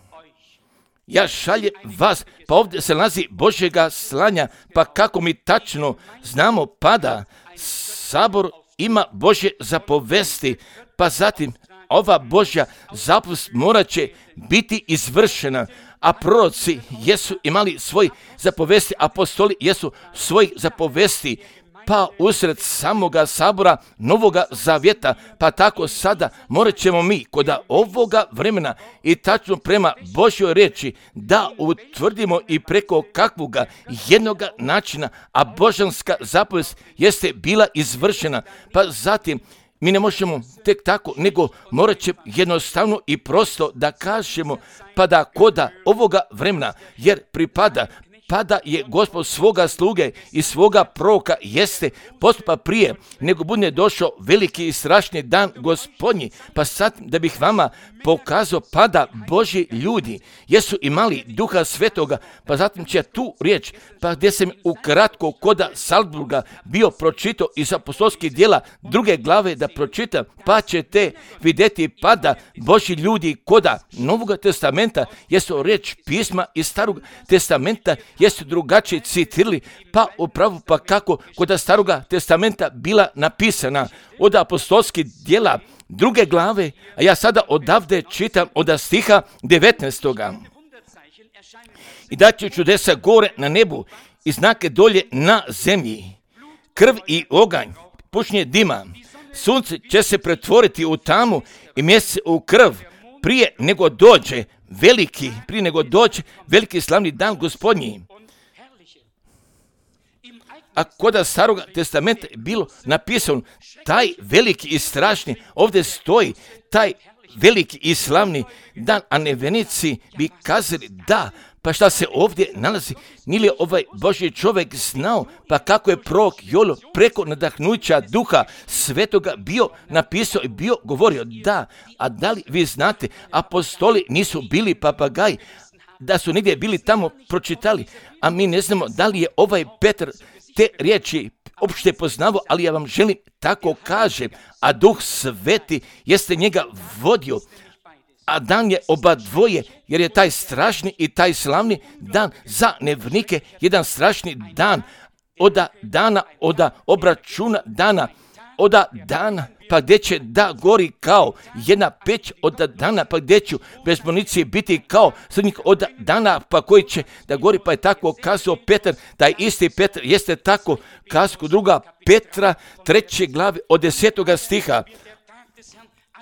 Ja šaljem vas, pa ovdje se nalazi Božjega slanja, pa kako mi tačno znamo, pada sabor ima Božje zapovesti, pa zatim ova Božja zapovest morat će biti izvršena, a proroci jesu imali svoj zapovesti, apostoli jesu svoj zapovesti, pa usred samoga sabora Novoga Zavjeta, pa tako sada morat ćemo mi kod ovoga vremena i tačno prema Božjoj riječi da utvrdimo i preko kakvoga jednoga načina, a božanska zapovest jeste bila izvršena, pa zatim mi ne možemo tek tako, nego morat će jednostavno i prosto da kažemo, pa da koda ovoga vremena, jer pada je Gospod svoga sluge i svoga proroka jeste postupa prije nego bude došao veliki i strašni dan Gospodnji. Pa sad da bih vama pokazao, pada Božji ljudi jesu imali Duha Svetoga, pa zatim će tu riječ, pa gdje sam ukratko koda Salzburga bio pročitao iz apostolskih djela 2. glave da pročitam, pa ćete vidjeti pada Božji ljudi koda Novog testamenta jesu riječ pisma iz Starog testamenta jesu drugačije citirali, pa upravo pa kako kod Staroga testamenta bila napisana od apostolskih djela 2. glave, a ja sada odavde čitam od stiha 19. I da će čudesa gore na nebu i znake dolje na zemlji, krv i oganj, pušenje dima, sunce će se pretvoriti u tamu i mjesec u krv, prije nego dođe veliki slavni dan Gospodnji. A kod Starog testamenta je bilo napisano taj veliki i strašni, ovdje stoji taj veliki i slavni dan, a nevjernici bi kazali da, pa šta se ovdje nalazi, nije li ovaj Božji čovjek znao, pa kako je prorok Joel preko nadahnuća Duha Svetoga bio napisao i bio govorio da, a da li vi znate, apostoli nisu bili papagaji, da su negdje bili tamo pročitali, a mi ne znamo da li je ovaj Petar te riječi opšte poznavo, ali ja vam želim tako kažem, a Duh Sveti jeste njega vodio, a dan je oba dvoje, jer je taj strašni i taj slavni dan za nevjernike jedan strašni dan, od obračuna dana, pa gdje će da gori kao jedna peć od dana, pa gdje ću bez municije biti kao srednjih od dana, pa koji će da gori, pa je tako kazao Petar, taj isti Petar jeste tako kazao 2. Petra 3. glave od 10. stiha.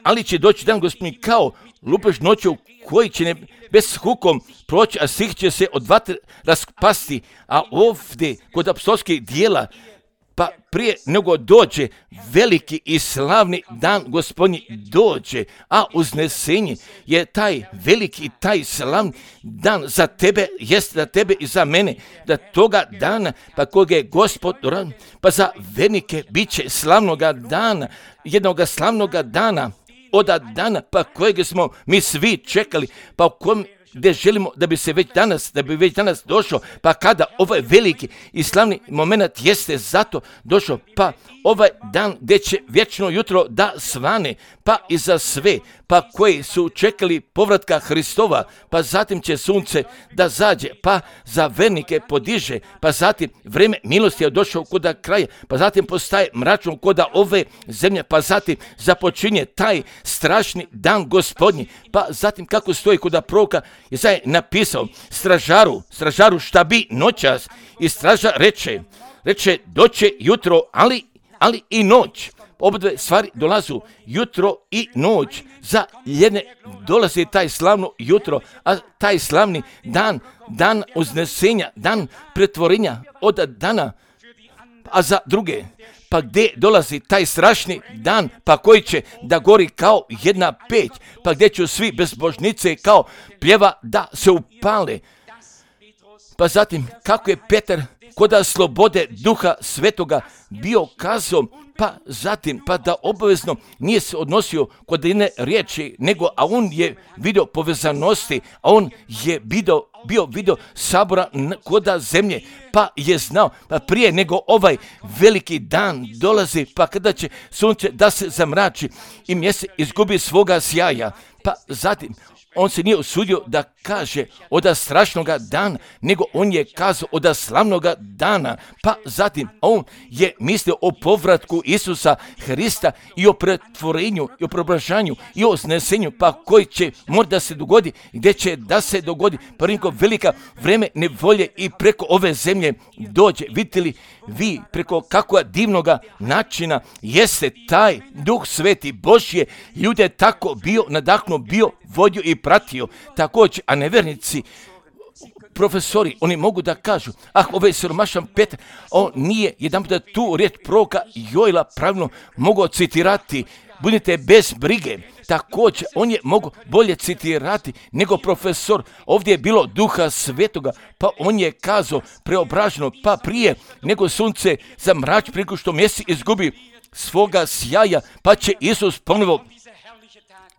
Ali će doći dan Gospodnji kao lupež noću koji će bez hukom proći, a svih će se od vatre raspasti, a ovdje kod apostolskih djela, pa prije nego dođe veliki i slavni dan Gospodnji dođe, a uznesenje je taj veliki i taj slavni dan za tebe, jest za tebe i za mene, da toga dana, pa koga je Gospod, pa za vernike bit će slavnoga dana, jednoga slavnoga dana, od dana pa kojeg smo mi svi čekali, pa u kom gdje želimo da bi već danas došao, pa kada ovaj veliki i slavni moment jeste zato došao, pa ovaj dan gdje će vječno jutro da svane, pa i za sve, pa koji su čekali povratka Hristova, pa zatim će sunce da zađe, pa za vernike podiže, pa zatim vrijeme milosti je došao koda kraja, pa zatim postaje mračno koda ove zemlje, pa zatim započinje taj strašni dan Gospodnji, pa zatim kako stoji koda proroka Jesaja napisao, stražaru šta bi noćas, i stražar reče doće jutro, ali i noć. Obadve stvari dolazu, jutro i noć. Za jedne dolazi taj slavno jutro, a taj slavni dan uznesenja, dan pretvorenja od dana, a za druge, pa gdje dolazi taj strašni dan, pa koji će da gori kao jedna peć, pa gdje će svi bezbožnice kao pljeva da se upale. Pa zatim, kako je Petar koda slobode Duha Svetoga bio kazao, pa zatim, pa da obavezno nije se odnosio kod jedne riječi, nego, a on je vidio povezanosti, a on je vidio sabora koda zemlje, pa je znao, pa prije nego ovaj veliki dan dolazi, pa kada će sunce da se zamrači i mjesec izgubi svoga sjaja, pa zatim, on se nije usudio da kaže oda strašnoga dana, nego on je kazao oda slavnoga dana. Pa zatim on je mislio o povratku Isusa Hrista i o pretvorenju, i o preobražanju, i o znesenju, pa koji će možda se dogodi, gdje će da se dogodi, pa neko velika vreme nevolje i preko ove zemlje dođe. Vidite li vi preko kakva divnoga načina jeste taj Duh Sveti Božje ljude tako bio nadahnuo, bio vodio i pratio. Također, a nevernici, profesori, oni mogu da kažu, ovaj siromašan Petar, on nije jedan puta tu riječ proroka Joela pravilno mogao citirati, budite bez brige. Također, on je mogu bolje citirati nego profesor. Ovdje je bilo Duha Svetoga, pa on je kazao preobraženo, pa prije nego sunce zamrači, prije što mjesec izgubi svoga sjaja, pa će Isus ponovo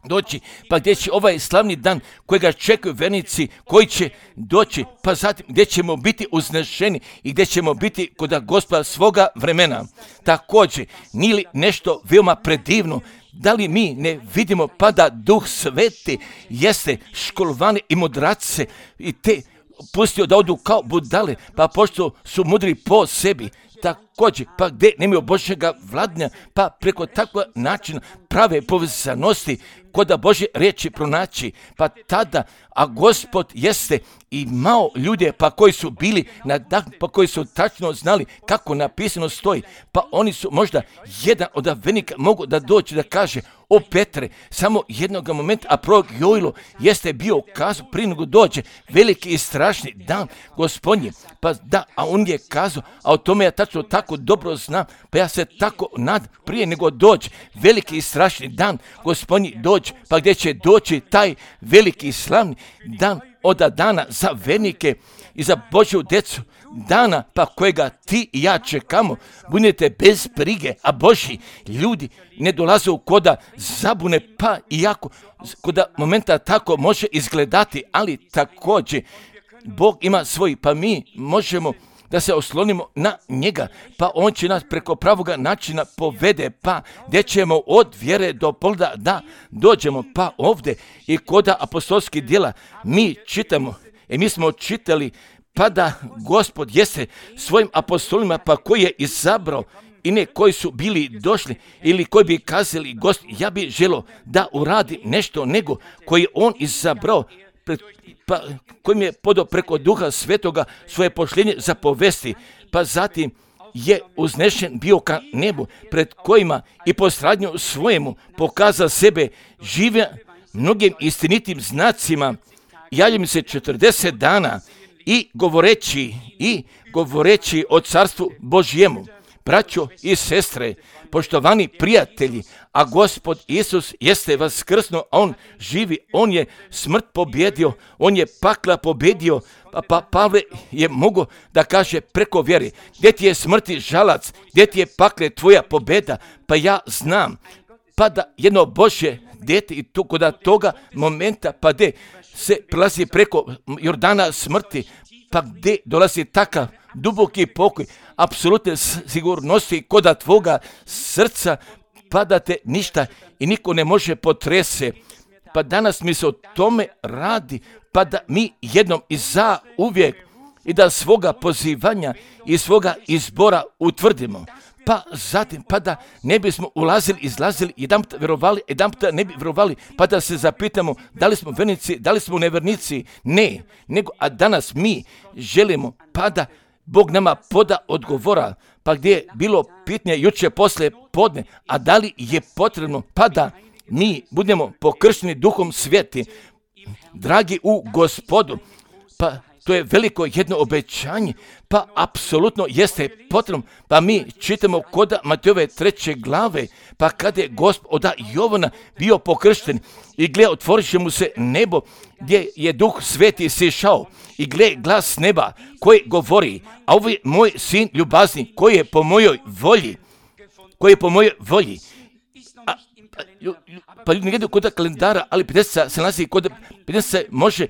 doći, pa gdje će ovaj slavni dan kojega čekaju vernici, koji će doći, pa zatim gdje ćemo biti uznešeni i gdje ćemo biti kod Gospoda svoga vremena. Također, nije li nešto veoma predivno, da li mi ne vidimo pa da Duh Sveti jeste školovane i mudrace i te pustio da odu kao budale, pa pošto su mudri po sebi, također, pa gdje nemaju Božjega vladanja, pa preko takvog načina prave povezanosti koda Božje riječi pronaći, pa tada, a Gospod jeste imao ljude, pa koji su bili pa koji su tačno znali kako napisano stoji, pa oni su možda jedan od vernika mogu da doći da kaže, o Petre, samo jednog momenta, a prorok Joilo jeste bio kazao prije nego dođe veliki i strašni dan Gospodnji, pa da, a on je kazao, a o tome ja tačno tako dobro znam, pa ja se tako nadam prije nego dođe veliki i strašni dan Gospodnji dođe, pa gdje će doći taj veliki slavni dan od dana za vernike i za Božju djecu, dana pa kojega ti i ja čekamo. Budite bez brige, a Božji ljudi ne dolaze u koda zabune, pa iako koda momenta tako može izgledati, ali također Bog ima svoj, pa mi možemo da se oslonimo na njega, pa on će nas preko pravoga načina povede, pa gdje ćemo od vjere do polda da dođemo, pa ovdje i koda apostolskih djela mi čitamo, mi smo čitali, pa da Gospod jeste svojim apostolima, pa koji je izabrao i ne koji su bili došli ili koji bi kazali, Gospod, ja bi želio da uradi nešto nego koji on izabrao, pa kojim je podao preko Duha Svetoga svoje pošljenje za povesti, pa zatim je uznešen bio ka nebu, pred kojima i po stradnju svojemu pokazao sebe žive mnogim istinitim znacima, javljam se 40 dana i govoreći o carstvu Božjemu. Braćo i sestre, poštovani prijatelji, a Gospod Isus jeste vaskrsno, a on živi, on je smrt pobjedio, on je pakla pobjedio, pa Pavle je mogao da kaže preko vjere, gdje ti je smrti žalac, gdje ti je pakle tvoja pobjeda, pa ja znam, pa da jedno Božje dijete i to kod toga momenta, pa gdje se prelazi preko Jordana smrti, pa gdje dolazi takav duboki pokoj, apsolutne sigurnosti kod tvoga srca, pa da te ništa i niko ne može potrese, Pa danas mi se o tome radi, pa da mi jednom i za uvijek i da svoga pozivanja i svoga izbora utvrdimo. Pa zatim, pa da ne bismo ulazili, izlazili, jedanput vjerovali, jedanput ne bi vjerovali, pa da se zapitamo da li smo vernici, da li smo nevernici. Ne, nego, a danas mi želimo, pa da Bog nama poda odgovora, pa gdje je bilo pitanje jučer poslije podne, a da li je potrebno, pa da mi budemo pokršteni Duhom Sveti, dragi u Gospodu, pa to je veliko jedno obećanje, pa apsolutno jeste potrebno. Pa mi čitamo kod Matejove 3. glave, pa kada je Gospod od Jovana bio pokršten i gle, otvorit će mu se nebo gdje je Duh Sveti sišao i gle, glas neba koji govori, a ovo je moj sin ljubazni koji je po mojoj volji, pa ljudi ne gledaju kod kalendara, ali 50 se nalazi kod 50 se može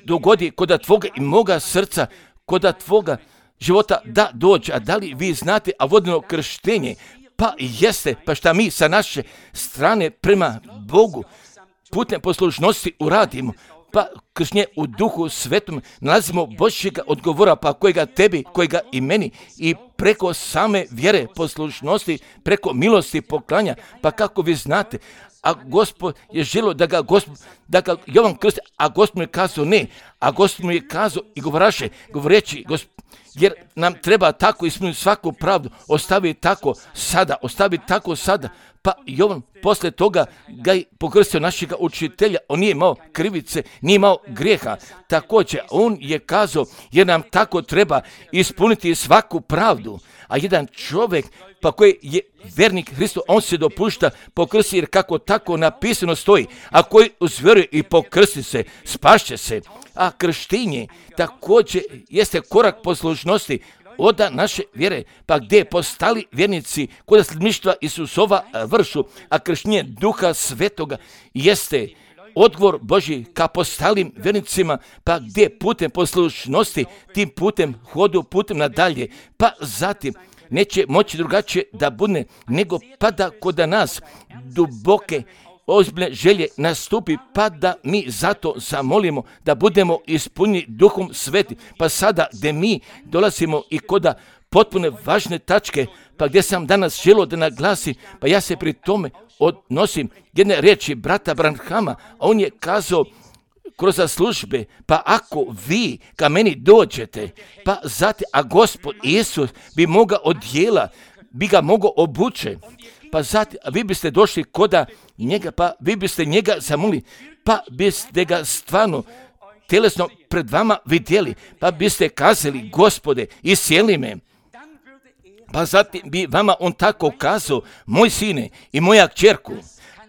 dogodi kod tvoga i moga srca, kod tvoga života da dođe. A da li vi znate, a vodeno krštenje, pa jeste, pa šta mi sa naše strane prema Bogu putem poslušnosti uradimo, pa kršnje u Duhu Svetom nalazimo Božjega odgovora, pa kojega tebi, kojega i meni, i preko same vjere, poslušnosti, preko milosti poklanja, pa kako vi znate, a Gospod je želio da ga Jovan krsti, a Gospod mu je kazao ne, a Gospod mu je kazao i govoreći, jer nam treba tako ispuniti svaku pravdu, ostavi tako sada, pa Jovan posle toga ga je pokrstio našega učitelja, on nije imao krivice, nije imao grijeha, također on je kazao, jer nam tako treba ispuniti svaku pravdu, a jedan čovjek, pa koji je vernik Hristu, on se dopušta pokrsti, jer kako tako napisano stoji, a koji uzvjeruje i pokrsti se, spašće se. A krštenje također jeste korak poslušnosti od naše vjere, pa gdje postali vjernici kod sledbeništva Isusova vršu, a krštenje Duha Svetoga jeste odgovor Božji ka postalim vjernicima, pa gdje putem poslušnosti, tim putem hodu, putem nadalje, pa zatim neće moći drugačije da bude, nego pa da kod nas duboke ozbiljne želje nastupi, pa da mi zato zamolimo da budemo ispunjeni Duhom Svetim. Pa sada gdje mi dolazimo i kod potpune važne tačke, pa gdje sam danas želio da naglasim, pa ja se pri tome odnosim jedne riječi brata Branhama, a on je kazao kroz službe, pa ako vi ka meni dođete, pa zatim, a Gospod Isus bi mogao odjela, bi ga mogao obuče, pa zatim, a vi biste došli koda njega, pa vi biste njega zamolili, pa biste ga stvarno telesno pred vama vidjeli, pa biste kazali, Gospode, iscijeli me. Pa zatim bi vama on tako kazao, moj sine i moja kćerku,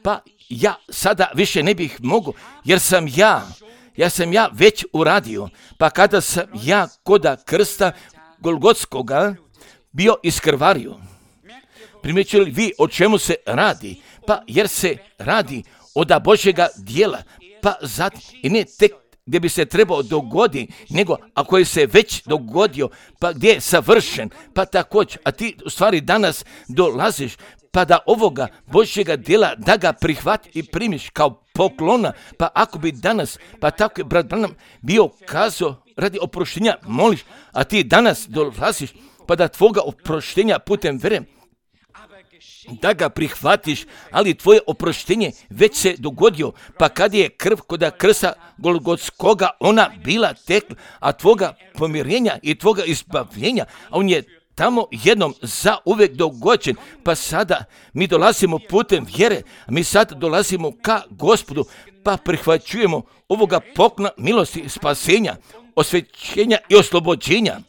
pa ja sada više ne bih mogao, jer sam ja već uradio, pa kada sam ja koda krsta Golgotskoga bio iskrvario. Primjećujete li vi o čemu se radi? Pa jer se radi od Božjega dijela, pa zatim i ne tek gdje bi se trebao dogoditi, nego ako je se već dogodio, pa gdje je savršen, pa također, a ti u stvari danas dolaziš, pa da ovoga Božjega dijela da ga prihvati i primiš kao poklona, pa ako bi danas, pa tako je brat Branham bio kazao radi oproštenja moliš, a ti danas dolaziš, pa da tvoga oproštenja putem vere da ga prihvatiš, ali tvoje oproštenje već se dogodio, pa kad je krv kod krsta Golgotskoga ona bila tekla, a tvoga pomirenja i tvoga izbavljenja, a on je tamo jednom za uvijek dogođen, pa sada mi dolazimo putem vjere, mi sad dolazimo ka Gospodu, pa prihvaćujemo ovoga poklona milosti, spasenja, osvećenja i oslobođenja.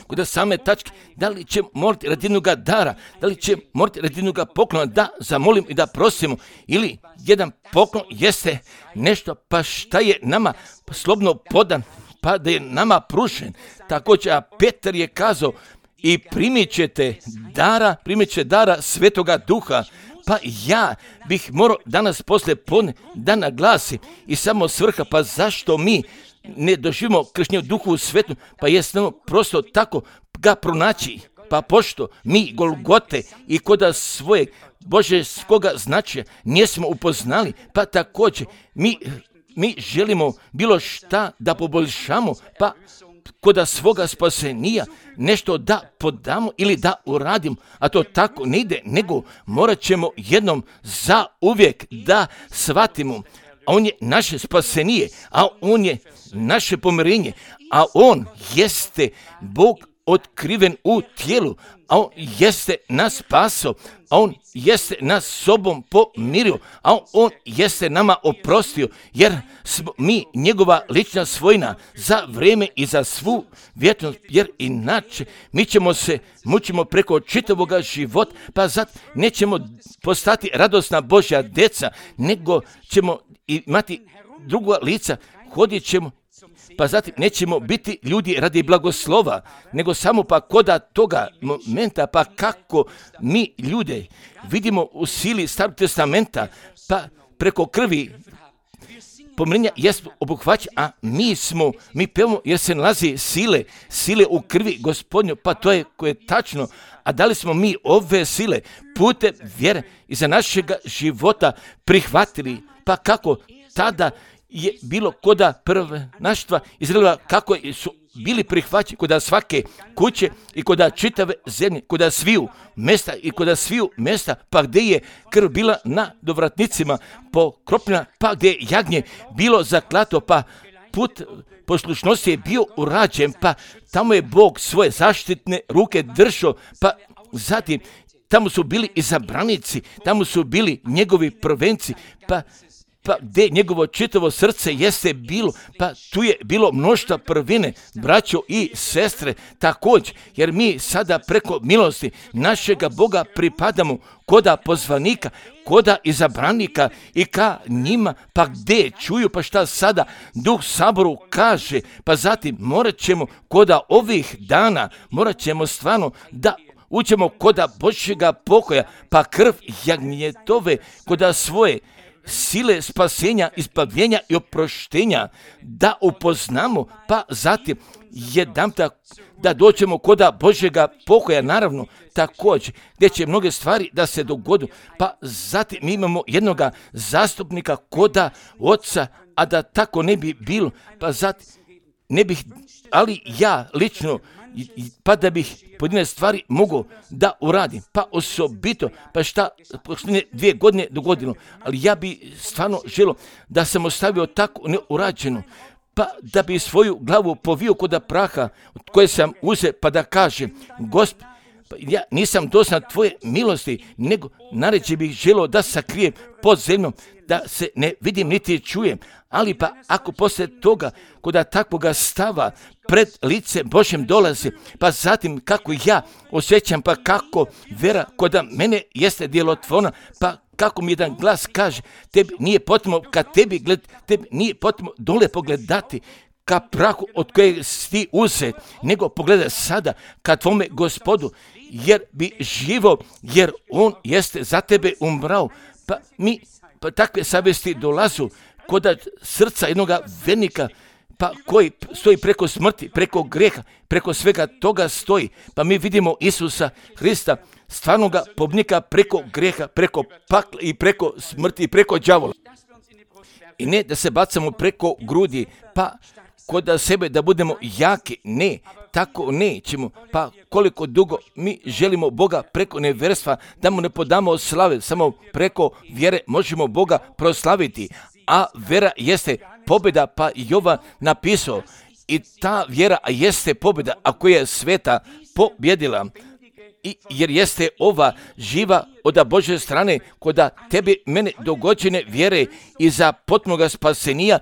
Kod same tačke, da li će morati radi jednoga dara, da li će morati radi jednoga poklona da zamolim i da prosimo, ili jedan poklon jeste nešto pa šta je nama slobodno podan, pa da je nama prušen. Također, a Petar je kazao i primit ćete dara Svetoga Duha, pa ja bih morao danas poslije podne da naglasim i samo svrha, pa zašto mi ne doživimo krštenje u Duhu Svetom, pa jednostavno prosto tako ga pronaći Pa pošto mi Golgote i koda svoje božeskoga značaja nismo upoznali, pa također mi želimo bilo šta da poboljšamo, pa koda svoga spasenija nešto da podamo ili da uradimo, a to tako ne ide, nego morat ćemo jednom za uvijek da shvatimo, a on je naše spasenije, a on je naše pomirenje, a on jeste Bog otkriven u tijelu, a on jeste nas spasao, a on jeste nas sobom pomirio, a on jeste nama oprostio, jer smo mi njegova lična svojina za vrijeme i za svu vječnost, jer inače mi ćemo se mučimo preko čitavoga života, pa zato nećemo postati radosna Božja deca, nego ćemo imati druga lica, hodit ćemo, pa zatim nećemo biti ljudi radi blagoslova, nego samo pa koda toga momenta, pa kako mi ljude vidimo u sili Starog testamenta, pa preko krvi pomirenja jesmo obuhvaćeni, a mi pevamo jer se nalazi sile u krvi Gospodnju, pa to je koje je tačno, a da li smo mi ove sile putem vjere iza našega života prihvatili, pa kako tada je bilo koda prvenaštva Izraela, kako su bili prihvaćeni koda svake kuće i koda čitave zemlje, koda sviju mjesta, pa gdje je krv bila na dovratnicima pokropljena, pa gdje je jagnje bilo zaklato, pa put poslušnosti je bio urađen, pa tamo je Bog svoje zaštitne ruke držao, pa zatim tamo su bili izabranici, tamo su bili njegovi prvenci, pa gdje njegovo čitavo srce jeste bilo, pa tu je bilo mnoštva prvine, braćo i sestre, također, jer mi sada preko milosti našega Boga pripadamo koda pozvanika, koda izabranika i ka njima, pa gdje čuju, pa šta sada Duh Saboru kaže, pa zatim morat ćemo koda ovih dana, morat ćemo stvarno da učemo koda Božjega pokoja, pa krv jagnjetove koda svoje sile spasenja, ispavljenja i oproštenja da upoznamo, pa zatim jedanput da dođemo koda Božjega pokoja, naravno također, gdje će mnoge stvari da se dogodu, pa zatim mi imamo jednoga zastupnika koda Oca, a da tako ne bi bilo, pa zatim ne bih, ali ja lično, pa da bih pojedine stvari mogu da uradim, pa osobito, pa šta posljednje 2 godine dogodilo, ali ja bi stvarno želio da sam ostavio tako neurađeno, pa da bi svoju glavu povio koda praha od koje sam uzeo, pa da kažem, Gospod, ja nisam dosan tvoje milosti, nego naređe bih želio da sakrijem pod zemljom, da se ne vidim niti čujem, ali pa ako poslije toga koda takvoga stava pred lice Božjem dolazi, pa zatim kako ja osjećam, pa kako vera koda mene jeste djelotvorna, pa kako mi jedan glas kaže, tebi nije potrebno kad tebi nije potrebno dole pogledati ka prahu od kojeg si uzet, nego pogledaj sada ka tvome Gospodu, jer bi živo, jer on jeste za tebe umrao, pa takve savjesti dolazu koda srca jednoga vernika, pa koji stoji preko smrti, preko greha, preko svega toga stoji, pa mi vidimo Isusa Hrista, stvarnoga pobnika preko greha, preko pakla i preko smrti i preko đavola. I ne da se bacamo preko grudi, pa koda sebe da budemo jaki, ne, tako nećemo, pa koliko dugo mi želimo Boga preko nevjerstva, da mu ne podamo slave, samo preko vjere možemo Boga proslaviti, a vjera jeste pobjeda, pa Jovan napisao, i ta vjera jeste pobjeda, ako je sveta pobjedila, jer jeste ova živa od Božje strane, koda tebi mene dogođene vjere i za potpunoga spasenija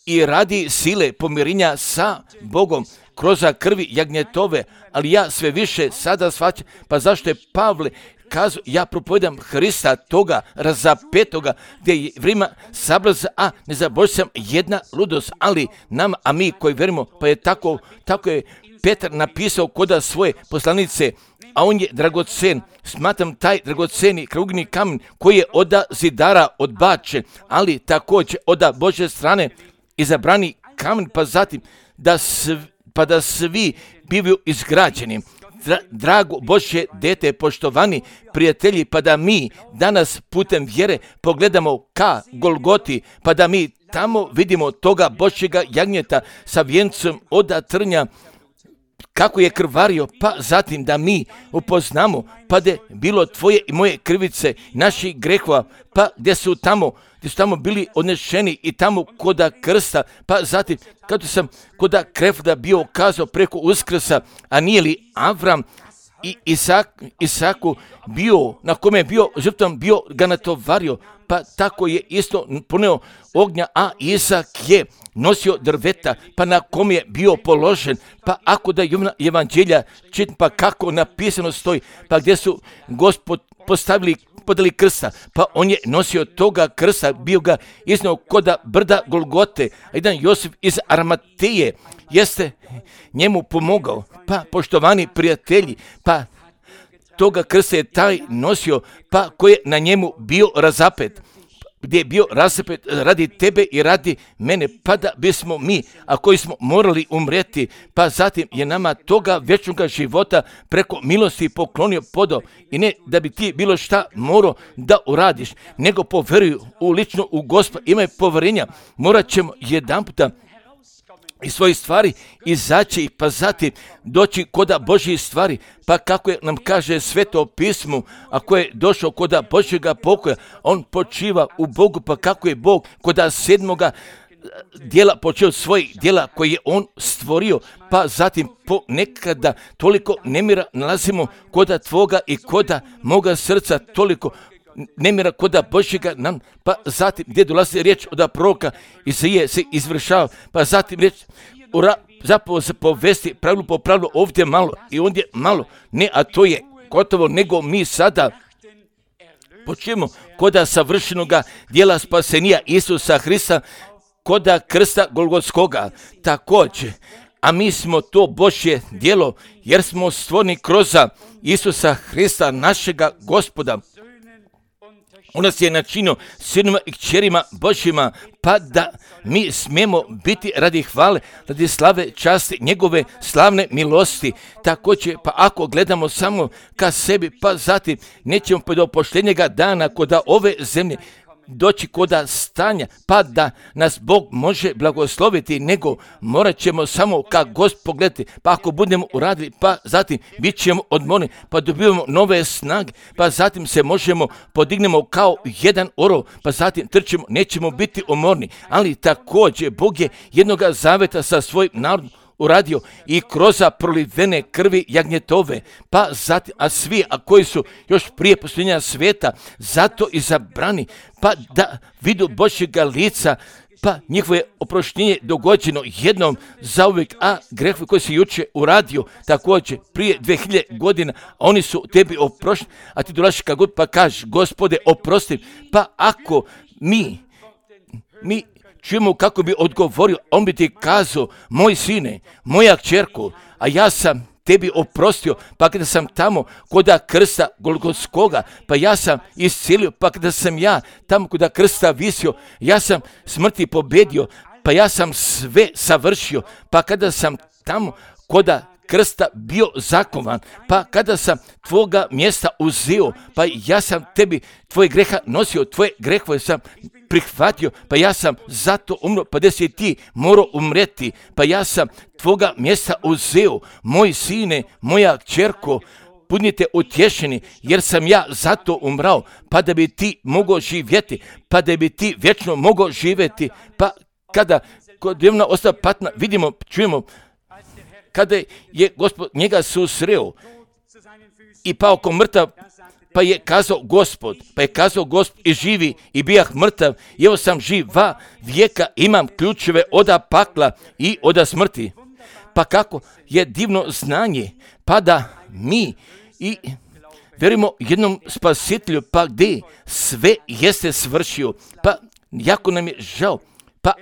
i radi sile pomirenja sa Bogom kroz krvi jagnjetove, ali ja sve više sada shvaćam, pa zašto je Pavle kazao, ja propovedam Hrista toga razapetoga, gdje je vrijeme sablaz, a ne zaboravim jedna ludost, ali nam, a mi koji verimo, pa je tako je Petar napisao koda svoje poslanice, a on je dragocen, smatram taj dragoceni krugni kamen koji je od zidara odbačen, ali također od Božje strane izabrani kamen, pa zatim da svi bivaju izgrađeni. drago Božje dete, poštovani prijatelji, pa da mi danas putem vjere pogledamo ka Golgoti, pa da mi tamo vidimo toga Božjega jagnjeta sa vjencom od trnja, kako je krvario, pa zatim da mi upoznamo, pa da je bilo tvoje i moje krivice, naših grehova, pa gdje su tamo bili odnešeni i tamo koda krsta, pa zatim kada sam koda krevda bio kazao preko Uskrsa, a nije li Avram i Isaku bio, na kome je bio žrtvom, bio ga natovario, pa tako je isto poneo ognja, a Isak je nosio drveta, pa na kom je bio položen, pa ako da evanđelja čitam, pa kako napisano stoji, pa gdje su Gospod podali krsta, pa on je nosio toga krsta, bio ga iznio koda brda Golgote, a jedan Josif iz Arimateje jeste njemu pomogao, pa poštovani prijatelji, pa toga krsta je taj nosio, pa koji je na njemu bio razapet, gdje je bio razapet radi tebe i radi mene, pa da bismo mi, a koji smo morali umreti, pa zatim je nama toga vječnoga života preko milosti poklonio podao, i ne da bi ti bilo šta morao da uradiš, nego poveruju u lično u Gospoda, imaj povjerenja, morat ćemo jedan puta iz svojih stvari izaći, pa zatim doći koda Božjih stvari, pa kako je nam kaže Sveto pismo, ako je došao koda Božjega pokoja, on počiva u Bogu, pa kako je Bog koda sedmoga djela počeo svojih djela koje je on stvorio, pa zatim ponekada toliko nemira nalazimo koda tvoga i koda moga srca, toliko nemira koda Božjega nam, pa zatim gdje dolazi riječ od proroka Izaije se izvršava, pa zatim riječ zapravo se povesti pravilu po pravilu, ovdje malo i ondje malo, ne, a to je gotovo, nego mi sada počnemo koda savršenoga djela spasenija Isusa Hrista, koda krsta Golgotskoga također, a mi smo to Božje djelo, jer smo stvoreni kroz Isusa Hrista, našega Gospoda. On nas je načinio sinima i kćerima Božjima, pa da mi smijemo biti radi hvale, radi slave, časti, njegove slavne milosti. Također, pa ako gledamo samo ka sebi, pa zatim nećemo do poštenjega dana koda ove zemlje doći koda stanja, pa da nas Bog može blagosloviti, nego morat ćemo samo ka Gospod pogledati, pa ako budemo uradili, pa zatim bit ćemo odmorni, pa dobivamo nove snage, pa zatim se možemo podignemo kao jedan orao, pa zatim trčimo, nećemo biti umorni, ali također Bog je jednoga zaveta sa svojim narodom uradio i kroz prolivene krvi jagnjetove, pa zatim, a svi, a koji su još prije posljednja svijeta, zato izabrani, pa da vidu Božjega lica, pa njihovo je oproštenje dogođeno jednom zauvijek, a grehovi koji se juče uradio također prije 2000 godina, oni su tebi oprošteni, a ti dolaziš kad god pa kažeš, Gospode, oprosti, pa ako mi čujemo kako bi odgovorio, on bi ti kazao, moj sine, moja kćerko, a ja sam tebi oprostio, pa kada sam tamo koda krsta Golgotskoga, pa ja sam iscijelio, pa kada sam ja tamo koda krsta visio, ja sam smrti pobedio, pa ja sam sve savršio, pa kada sam tamo koda krsta bio zakovan, pa kada sam tvoga mjesta uzeo, pa ja sam tebi tvoje greha nosio, tvoje grehove sam prihvatio, pa ja sam zato umro, pa da si ti morao umreti, pa ja sam tvoga mjesta uzeo, moj sine, moja kćerko, budite utješeni, jer sam ja zato umrao, pa da bi ti mogao živjeti, pa da bi ti vječno mogao živjeti, pa kada kod Jevna ostala patna, vidimo, čujemo, kada je Gospod njega susreo i pao ko mrtav, pa je kazao Gospod i živi i bijah mrtav, i evo sam živ va vijeka, imam ključeve oda pakla i oda smrti. Pa kako je divno znanje, pa da mi i vjerujemo jednom spasitelju, pa gdje sve jeste svršio, pa jako nam je žao. Pa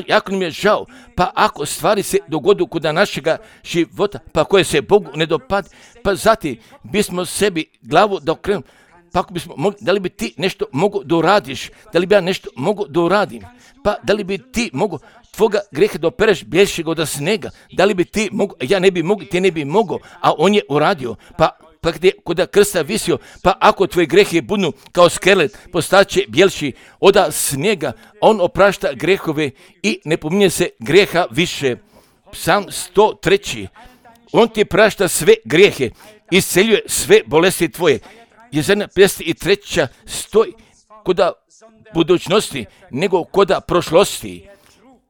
jako nam je žao, pa ako stvari se dogodu kod našega života, pa koje se Bogu ne dopade, pa zatim bismo sebi glavu da okrenemo, Pa ako bismo mogli, da li bi ti nešto mogu da uradiš? Da li bi ja nešto mogu da uradim? Pa da li bi ti mogu tvoga greha da opereš bjeljšega od snega? Da li bi ti mogu, ja ne bi mogu, ti ne bi mogo, a on je uradio. Pa gdje kod krsta visio, pa ako tvoje grehe budu kao skelet, postaće bjelši od snijega, on oprašta grehove i ne pominje se greha više. Psalm 103. On ti prašta sve grijehe, isceljuje sve bolesti tvoje. Jezena 53. stoji koda budućnosti nego koda prošlosti.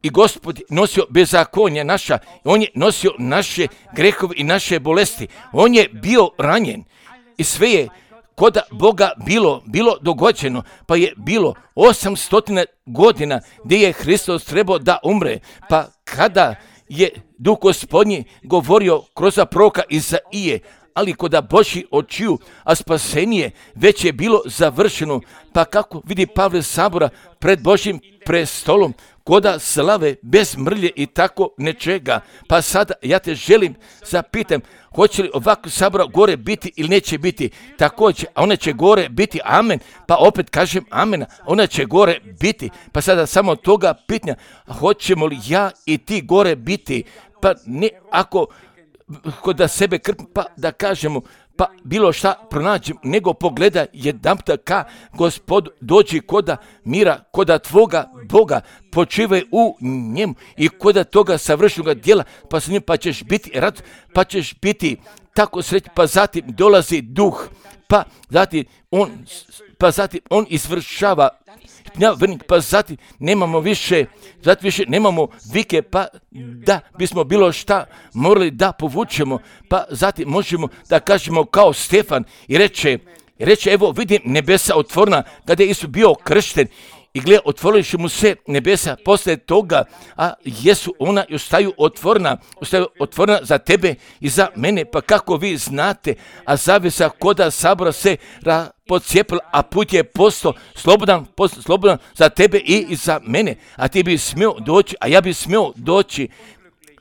I Gospod nosio bezakonje naša, on je nosio naše grehove i naše bolesti. On je bio ranjen i sve je koda Boga bilo dogođeno, pa je bilo 800 godina gdje je Hristos trebao da umre, pa kada je Duh Gospodnji govorio kroz proroka Izaije, ali koda Božji očiju, a spasenje već je bilo završeno, pa kako vidi Pavle Sabora pred Božjim prestolom, koda slave bez mrlje i tako nečega. Pa sada ja te želim zapitam, hoće li ovako Sabora gore biti ili neće biti? Također, a ona će gore biti, amen. Pa opet kažem amen, ona će gore biti. Pa sada samo toga pitanja, hoćemo li ja i ti gore biti? Pa ne ako da sebe krpim, pa da kažemo, pa bilo šta pronađem, nego pogleda jedanputa ka Gospodu, dođi koda mira, koda tvoga Boga, počivaj u njemu i koda toga savršenog djela, pa sa njim pa ćeš biti rad, pa ćeš biti tako srećan, pa zatim dolazi duh, pa zatim on izvršava, pa zatim nemamo više, nemamo vike, pa da bismo bilo šta morali da povučemo, pa zatim možemo da kažemo kao Stefan i reče evo vidim nebesa otvorena kada je Isus bio kršten i gleda otvorili mu se nebesa posle toga, a jesu ona i ostaju otvorena za tebe i za mene, pa kako vi znate, a zavesa koda Sabora se pocijepila, a put je postao slobodan za tebe i za mene, a ti bi smio doći, a ja bi smio doći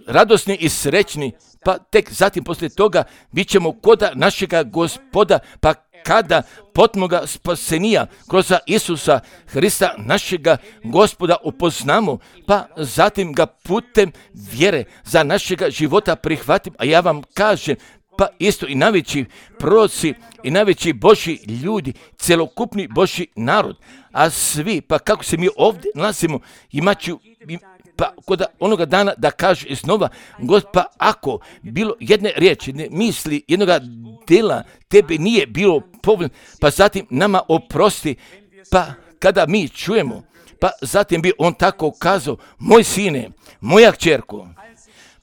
radosni i srećni, pa tek zatim poslije toga bit ćemo koda našega Gospoda, pa kada potmoga spasenija kroz Isusa Hrista našega Gospoda upoznamo, pa zatim ga putem vjere za našega života prihvatim, a ja vam kažem, pa isto i najveći proroci i najveći Božji ljudi, celokupni Božji narod, a svi, pa kako se mi ovdje nalazimo, imaću pa kod onoga dana da kaže iznova, pa ako bilo jedne riječi, jedne misli, jednoga dela tebe nije bilo povoljno, pa zatim nama oprosti, pa kada mi čujemo, pa zatim bi on tako kazao, moj sine, moja kćerko,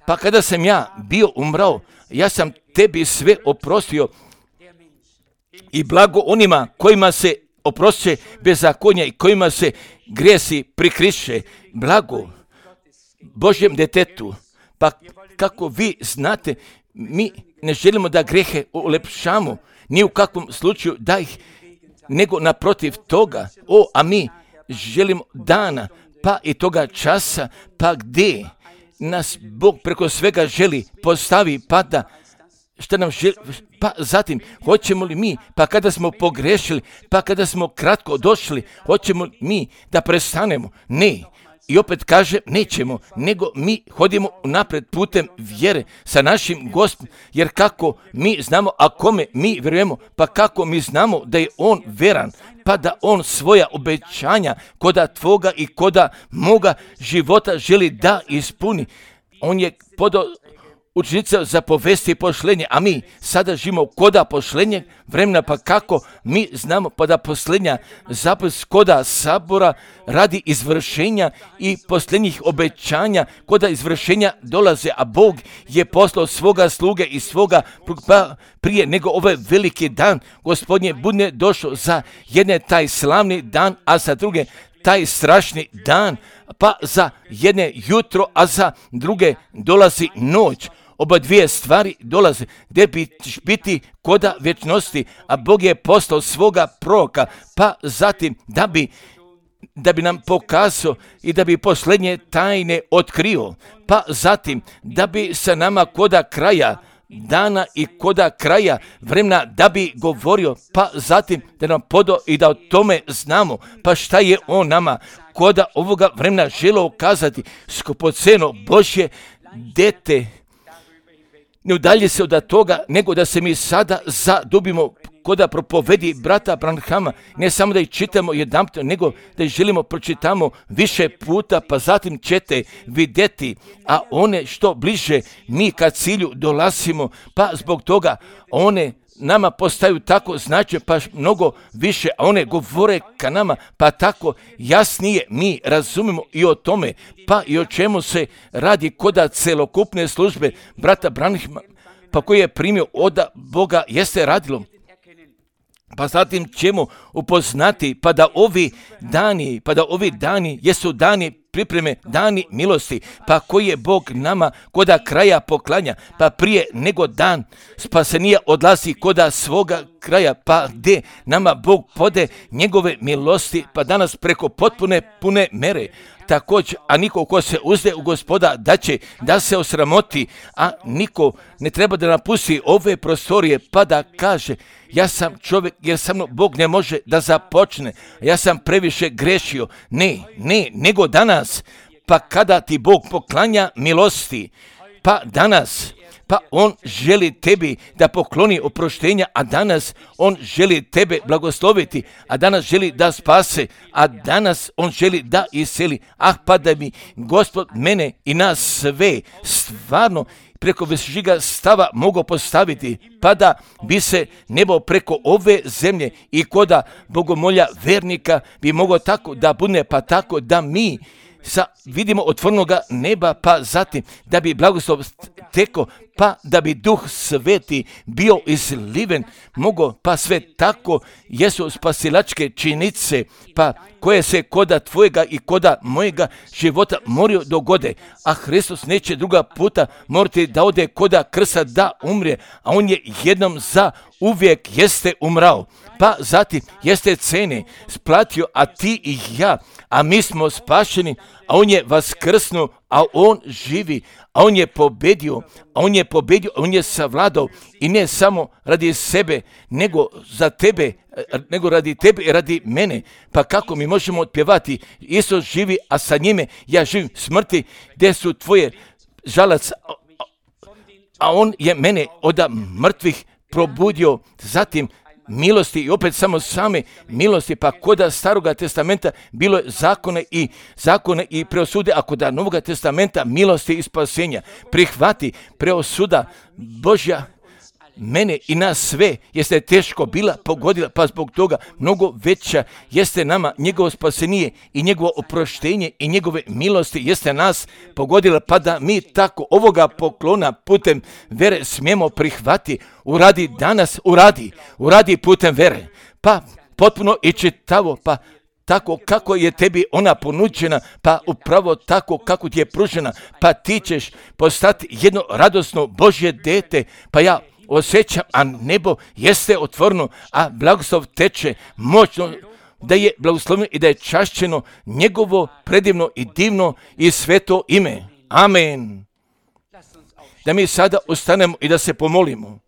pa kada sam ja bio umrao, ja sam tebi sve oprostio i blago onima kojima se oprošće bezakonja i kojima se grijesi prikriše, blago Božjem detetu. Pa kako vi znate, mi ne želimo da grehe ulepšamo, ni u kakvom slučaju da ih, nego naprotiv toga, a mi želimo dana, pa i toga časa, pa gdje nas Bog preko svega želi postavi, pa da što nam želi, pa zatim hoćemo li mi, pa kada smo pogrešili, pa kada smo kratko došli, hoćemo mi da prestanemo? Ne. I opet kaže, nećemo, nego mi hodimo napred putem vjere sa našim Gospodom, jer kako mi znamo, a kome mi vjerujemo, pa kako mi znamo da je on veran, pa da on svoja obećanja koda tvoga i koda moga života želi da ispuni. On je podao učenica za povesti i pošlenje, a mi sada živimo koda pošlenje vremena, pa kako mi znamo pa da posljednja zapis koda Sabora radi izvršenja i posljednjih obećanja koda izvršenja dolaze, a Bog je poslao svoga sluge i svoga prije nego ovaj veliki dan Gospodnje bude došao za jedne taj slavni dan, a za druge taj strašni dan, pa za jedne jutro, a za druge dolazi noć. Oba dvije stvari dolaze gdje ćeš biti koda vječnosti, a Bog je poslao svoga proroka, pa zatim da bi nam pokazao i da bi posljednje tajne otkrio, pa zatim da bi sa nama koda kraja dana i koda kraja vremena da bi govorio, pa zatim da nam podo i da o tome znamo, pa šta je on nama koda ovoga vremena želeo kazati, skupoceno Božje dete. Ne udalji se od toga, nego da se mi sada zadubimo koda propovedi brata Branhama, ne samo da ih čitamo jedanput, nego da ih želimo pročitamo više puta, pa zatim ćete vidjeti, a one što bliže mi ka cilju dolazimo, pa zbog toga one nama postaju tako značajne, pa mnogo više, a one govore ka nama, pa tako jasnije mi razumimo i o tome, pa i o čemu se radi koda celokupne službe brata Branhama, pa koji je primio od Boga, jeste radilo. Pa zatim ćemo upoznati, pa da ovi dani jesu dani pripreme, dani milosti, pa koji je Bog nama koda kraja poklanja, pa prije nego dan spasenija odlazi koda svoga kraja, pa gdje nama Bog pode njegove milosti, pa danas preko pune mere. Također, a niko ko se uzde u Gospoda da će da se osramoti, a niko ne treba da napusti ove prostorije pa da kaže, ja sam čovjek jer sa mnom Bog ne može da započne, ja sam previše grešio. Ne, nego danas, pa kada ti Bog poklanja milosti, pa danas, pa on želi tebi da pokloni oproštenja, a danas on želi tebe blagosloviti, a danas želi da spase, a danas on želi da iseli. Pa da mi Gospod mene i nas sve stvarno preko višega stava mogao postaviti, pa da bi se nebo preko ove zemlje i koda bogomolja vernika bi mogao tako da bude, pa tako da mi vidimo otvorenoga neba, pa zatim da bi blagoslov teko, pa da bi Duh Sveti bio izliven, mogo, pa sve tako jesu spasilačke činice, pa koje se koda tvojega i koda mojega života moraju dogode, a Hristos neće druga puta morati da ode koda krsta da umre, a on je jednom za uvijek jeste umrao, pa zatim jeste cene splatio, a ti i ja, a mi smo spašeni, a on je vaskrsnuo, a on živi, a on je pobedio, on je savladao i ne samo radi sebe, nego za tebe, nego radi tebe i radi mene. Pa kako mi možemo otpjevati, Isus živi, a sa njime ja živim, smrti, gdje su tvoje žalac, a on je mene od mrtvih probudio, zatim milosti i opet samo same milosti, pa koda Staroga testamenta bilo je zakone i preosude, a koda Novoga testamenta milosti i spasenja. Prihvati preosuda Božja mene i nas sve jeste teško bila pogodila, pa zbog toga mnogo veća jeste nama njegovo spasenije i njegovo oproštenje i njegove milosti jeste nas pogodila, pa da mi tako ovoga poklona putem vere smijemo prihvati. Uradi danas, uradi putem vere, pa potpuno i čitavo, pa tako kako je tebi ona ponuđena, pa upravo tako kako ti je pružena, pa ti ćeš postati jedno radosno Božje dete, pa ja osjećam, a nebo jeste otvoreno, a blagoslov teče moćno, da je blagosloveno i da je čašćeno njegovo predivno i divno i sveto ime. Amen. Da mi sada ustanemo i da se pomolimo.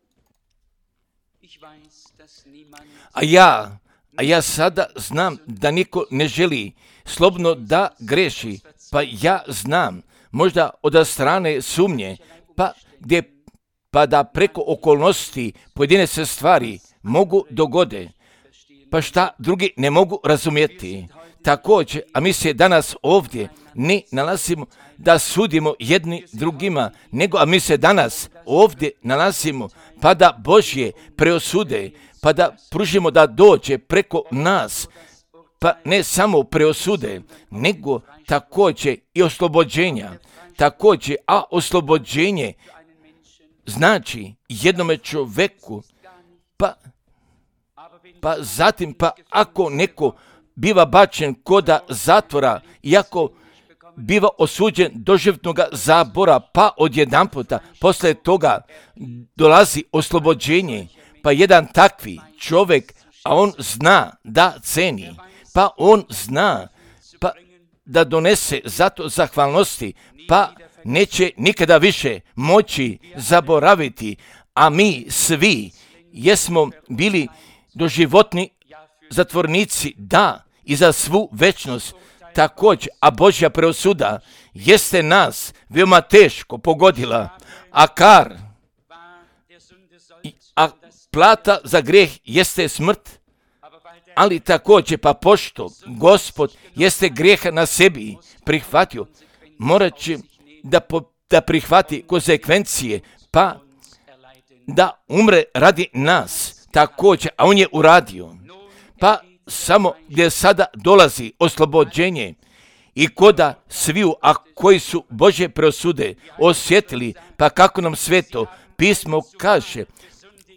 A ja sada znam da niko ne želi slobodno da greši, pa ja znam, možda od strane sumnje, pa da preko okolnosti pojedine se stvari mogu dogode, pa šta drugi ne mogu razumjeti. Također, a mi se danas ovdje ne nalazimo da sudimo jedni drugima, nego a mi se danas ovdje nalazimo pa da Božje preosude, pa da pružimo da dođe preko nas, pa ne samo preosude, nego također i oslobođenja. Također, a oslobođenje znači jednome čovjeku, pa zatim, pa ako neko biva bačen koda zatvora, iako biva osuđen do životnog zabora, pa odjedanputa posle toga dolazi oslobođenje, pa jedan takvi čovjek, a on zna da ceni, pa on zna pa da donese zato zahvalnosti, pa neće nikada više moći zaboraviti, a mi svi jesmo bili doživotni zatvornici, da, i za svu večnost također, a Božja preosuda jeste nas veoma teško pogodila, a plata za grijeh jeste smrt, ali također pa pošto Gospod jeste grijeha na sebi prihvatio, morat će da prihvati konsekvencije, pa da umre radi nas također, a on je uradio. Pa samo gdje sada dolazi oslobođenje i koda sviju, a koji su Božje preosude osjetili, pa kako nam Sveto pismo kaže,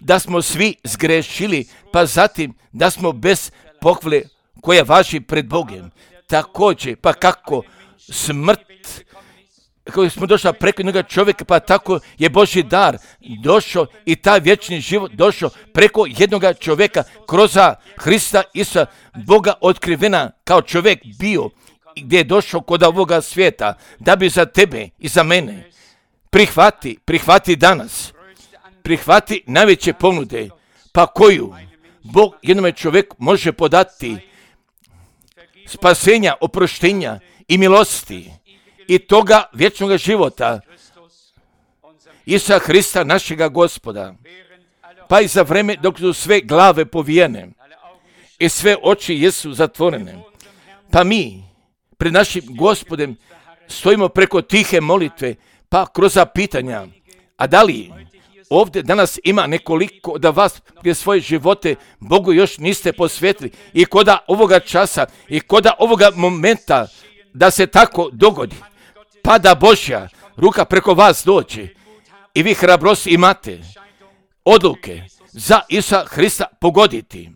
da smo svi zgrešili, pa zatim da smo bez pohvale koja važi pred Bogom. Također, pa kako smrt, kako smo došli preko jednog čovjeka, pa tako je Božji dar došao i taj vječni život došao preko jednog čovjeka kroz Hrista Isusa, Boga otkrivena kao čovjek bio, gdje je došao kod ovoga svijeta, da bi za tebe i za mene prihvati danas. Prihvati najveće ponude, pa koju Bog jednome čovjeku može podati spasenja, oproštenja i milosti i toga vječnog života Isusa Hrista našega Gospoda. Pa i za vreme dok su sve glave povijene i sve oči jesu zatvorene, pa mi pred našim Gospodem stojimo preko tihe molitve, pa kroz pitanja, a da li ovdje danas ima nekoliko da vas gdje svoje živote Bogu još niste posvetili i koda ovoga časa i koda ovoga momenta da se tako dogodi, pa da Božja ruka preko vas dođe i vi hrabrost imate odluke za Isusa Hrista pogoditi.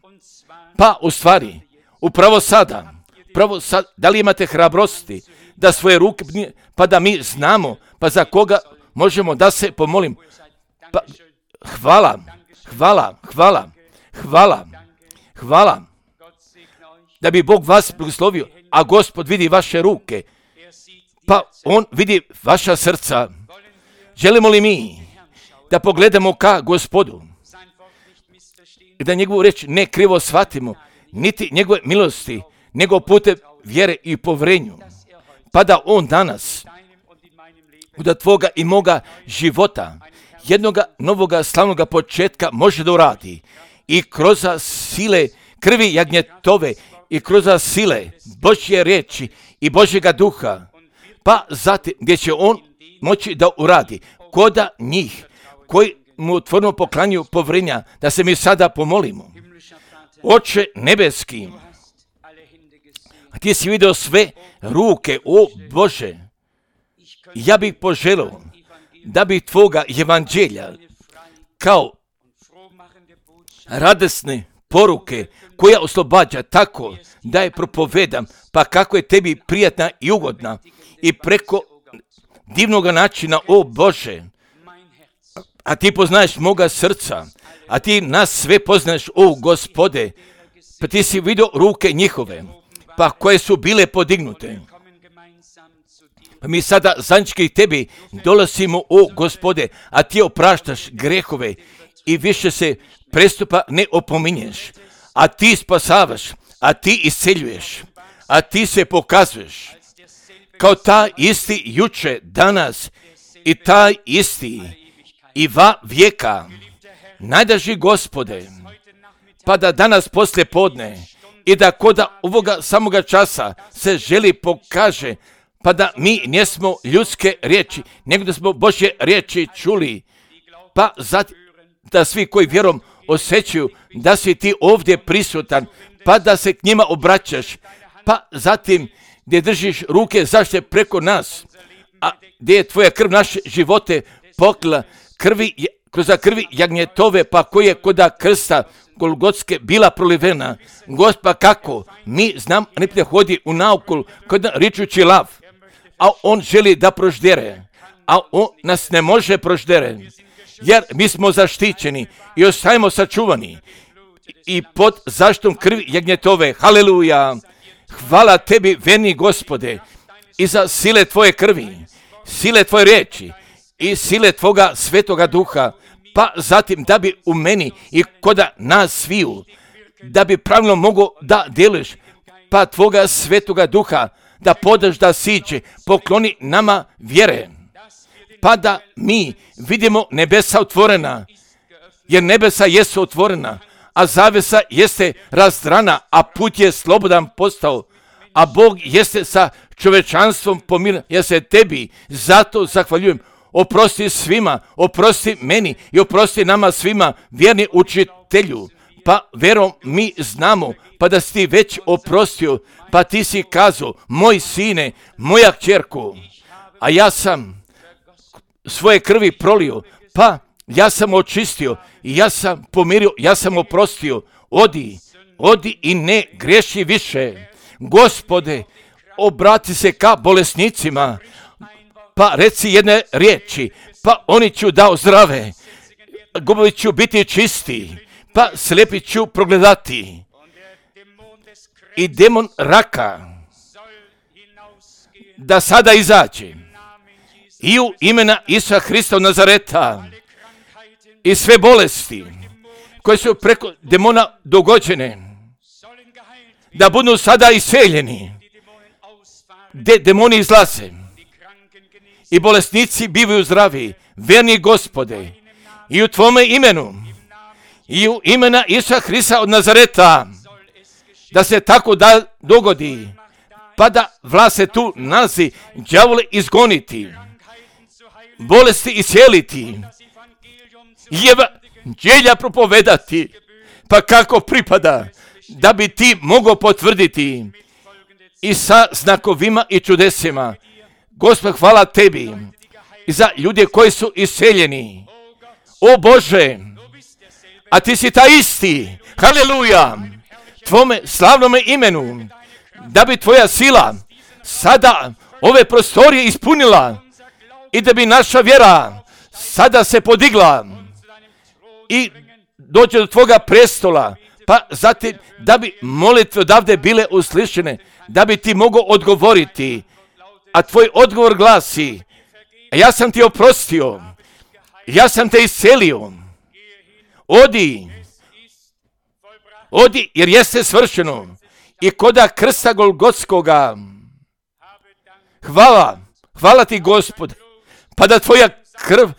Pa u stvari, upravo sada, da li imate hrabrosti da svoje ruke, pa da mi znamo, pa za koga možemo da se pomolim. Pa, hvala, da bi Bog vas blagoslovio, a Gospod vidi vaše ruke, pa on vidi vaša srca. Želimo li mi da pogledamo ka Gospodu i da njegovu reč ne krivo shvatimo, niti njegove milosti, nego putem vjere i povrenju, pa da on danas da tvoga i moga života jednoga novoga slavnoga početka može da uradi i kroz sile krvi jagnjetove i kroz sile Božje riječi i Božjega duha, pa zatim gdje će on moći da uradi koda njih koji mu otvoreno poklanjuju povrenja, da se mi sada pomolimo. Oče nebeski, ti si vidio sve ruke, o Bože, ja bih poželio da bi tvoga evanđelja kao radosne poruke koja oslobađa tako da je propovedam, pa kako je tebi prijatna i ugodna i preko divnog načina, o Bože, a ti poznaješ moga srca, a ti nas sve poznaješ, o Gospode, pa ti si vidio ruke njihove, pa koje su bile podignute. Pa mi sada zajednički tebi dolazimo, o Gospode, a ti opraštaš grehove i više se prestupa ne opominješ, a ti spasavaš, a ti isceljuješ, a ti se pokazuješ kao taj isti juče, danas i taj isti i va vijeka. Najdraži Gospode, pa da danas poslije podne i da koda ovoga samoga časa se želi pokaže, pa da mi nismo ljudske riječi, nego da smo Božje riječi čuli, pa zatim da svi koji vjerom osjećaju da si ti ovdje prisutan, pa da se k njima obraćaš, pa zatim gdje držiš ruke zaštite preko nas, a gdje je tvoja krv naše živote poklila kroz krvi jagnjetove, pa koje je koda krsta Golgotske bila prolivena. Gospa, kako mi znam, ne hodi u naokol kod ričući lav, a on želi da proždere, a on nas ne može proždere, jer mi smo zaštićeni i ostajemo sačuvani i pod zaštitom krvi jagnjetove. Haleluja! Hvala tebi, verni Gospode, i za sile tvoje krvi sile tvoje riječi i sile tvoga svetoga duha, pa zatim da bi u meni i kod nas sviju, da bi pravilno mogo da djeluješ, pa tvoga svetoga duha da podaš da siđe, pokloni nama vjere, pa da mi vidimo nebesa otvorena, jer nebesa jesu otvorena, a zavesa jeste razdrana, a put je slobodan postao, a Bog jeste sa čovečanstvom pomiren. Ja se tebi zato zahvaljujem. Oprosti svima, oprosti meni i oprosti nama svima, vjerni učitelju. Pa verom mi znamo, pa da si ti već oprostio, pa ti si kazao, moj sine, moja kćerko, a ja sam svoje krvi prolio, pa ja sam očistio i ja sam pomirio, ja sam oprostio. Odi i ne griješi više. Gospode, obrati se ka bolesnicima, pa reci jedne riječi, pa oni ću dao zdrave, gubovi ću biti čisti, pa slijepi ću progledati. I demon raka da sada izađe i u imena Isusa Hrista od Nazareta i sve bolesti koje su preko demona dogođene da budu sada iseljeni, gdje demoni izlaze i bolesnici bivaju zdravi, verni Gospode, i u tvome imenu i u imena Isusa Hrista od Nazareta, da se tako da dogodi, pa da vlast se tu nalazi, đavole izgoniti, bolesti isjeliti, evanđelja propovedati, pa kako pripada, da bi ti mogao potvrditi i sa znakovima i čudesima. Gospod, hvala tebi i za ljude koji su iseljeni. O Bože, a ti si taj isti, haleluja, tvome slavnome imenu, da bi tvoja sila sada ove prostorije ispunila i da bi naša vjera sada se podigla i dođe do tvoga prestola, pa zatim da bi molitve odavde bile uslišene, da bi ti mogao odgovoriti, a tvoj odgovor glasi, ja sam ti oprostio, ja sam te iscelio, odi jer jeste svršeno. I koda krsta Golgotskoga, hvala ti Gospod, pa da tvoja krv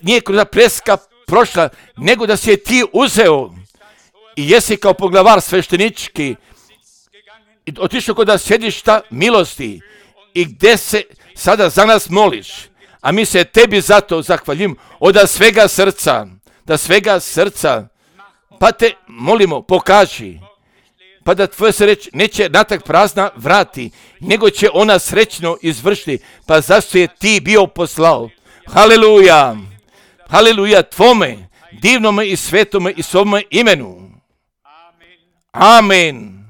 nije kroz preska prošla, nego da si je ti uzeo i jesi kao poglavar sveštenički i otišao kod sjedišta milosti i gdje se sada za nas moliš, a mi se tebi zato zahvaljujemo od svega srca, pa te molimo, pokaži, pa da tvoja se reč neće natak prazna vrati, nego će ona srećno izvršiti, pa zašto je ti bio poslao. Haleluja, haleluja tvome, divnome i svetome i svome imenu. Amen.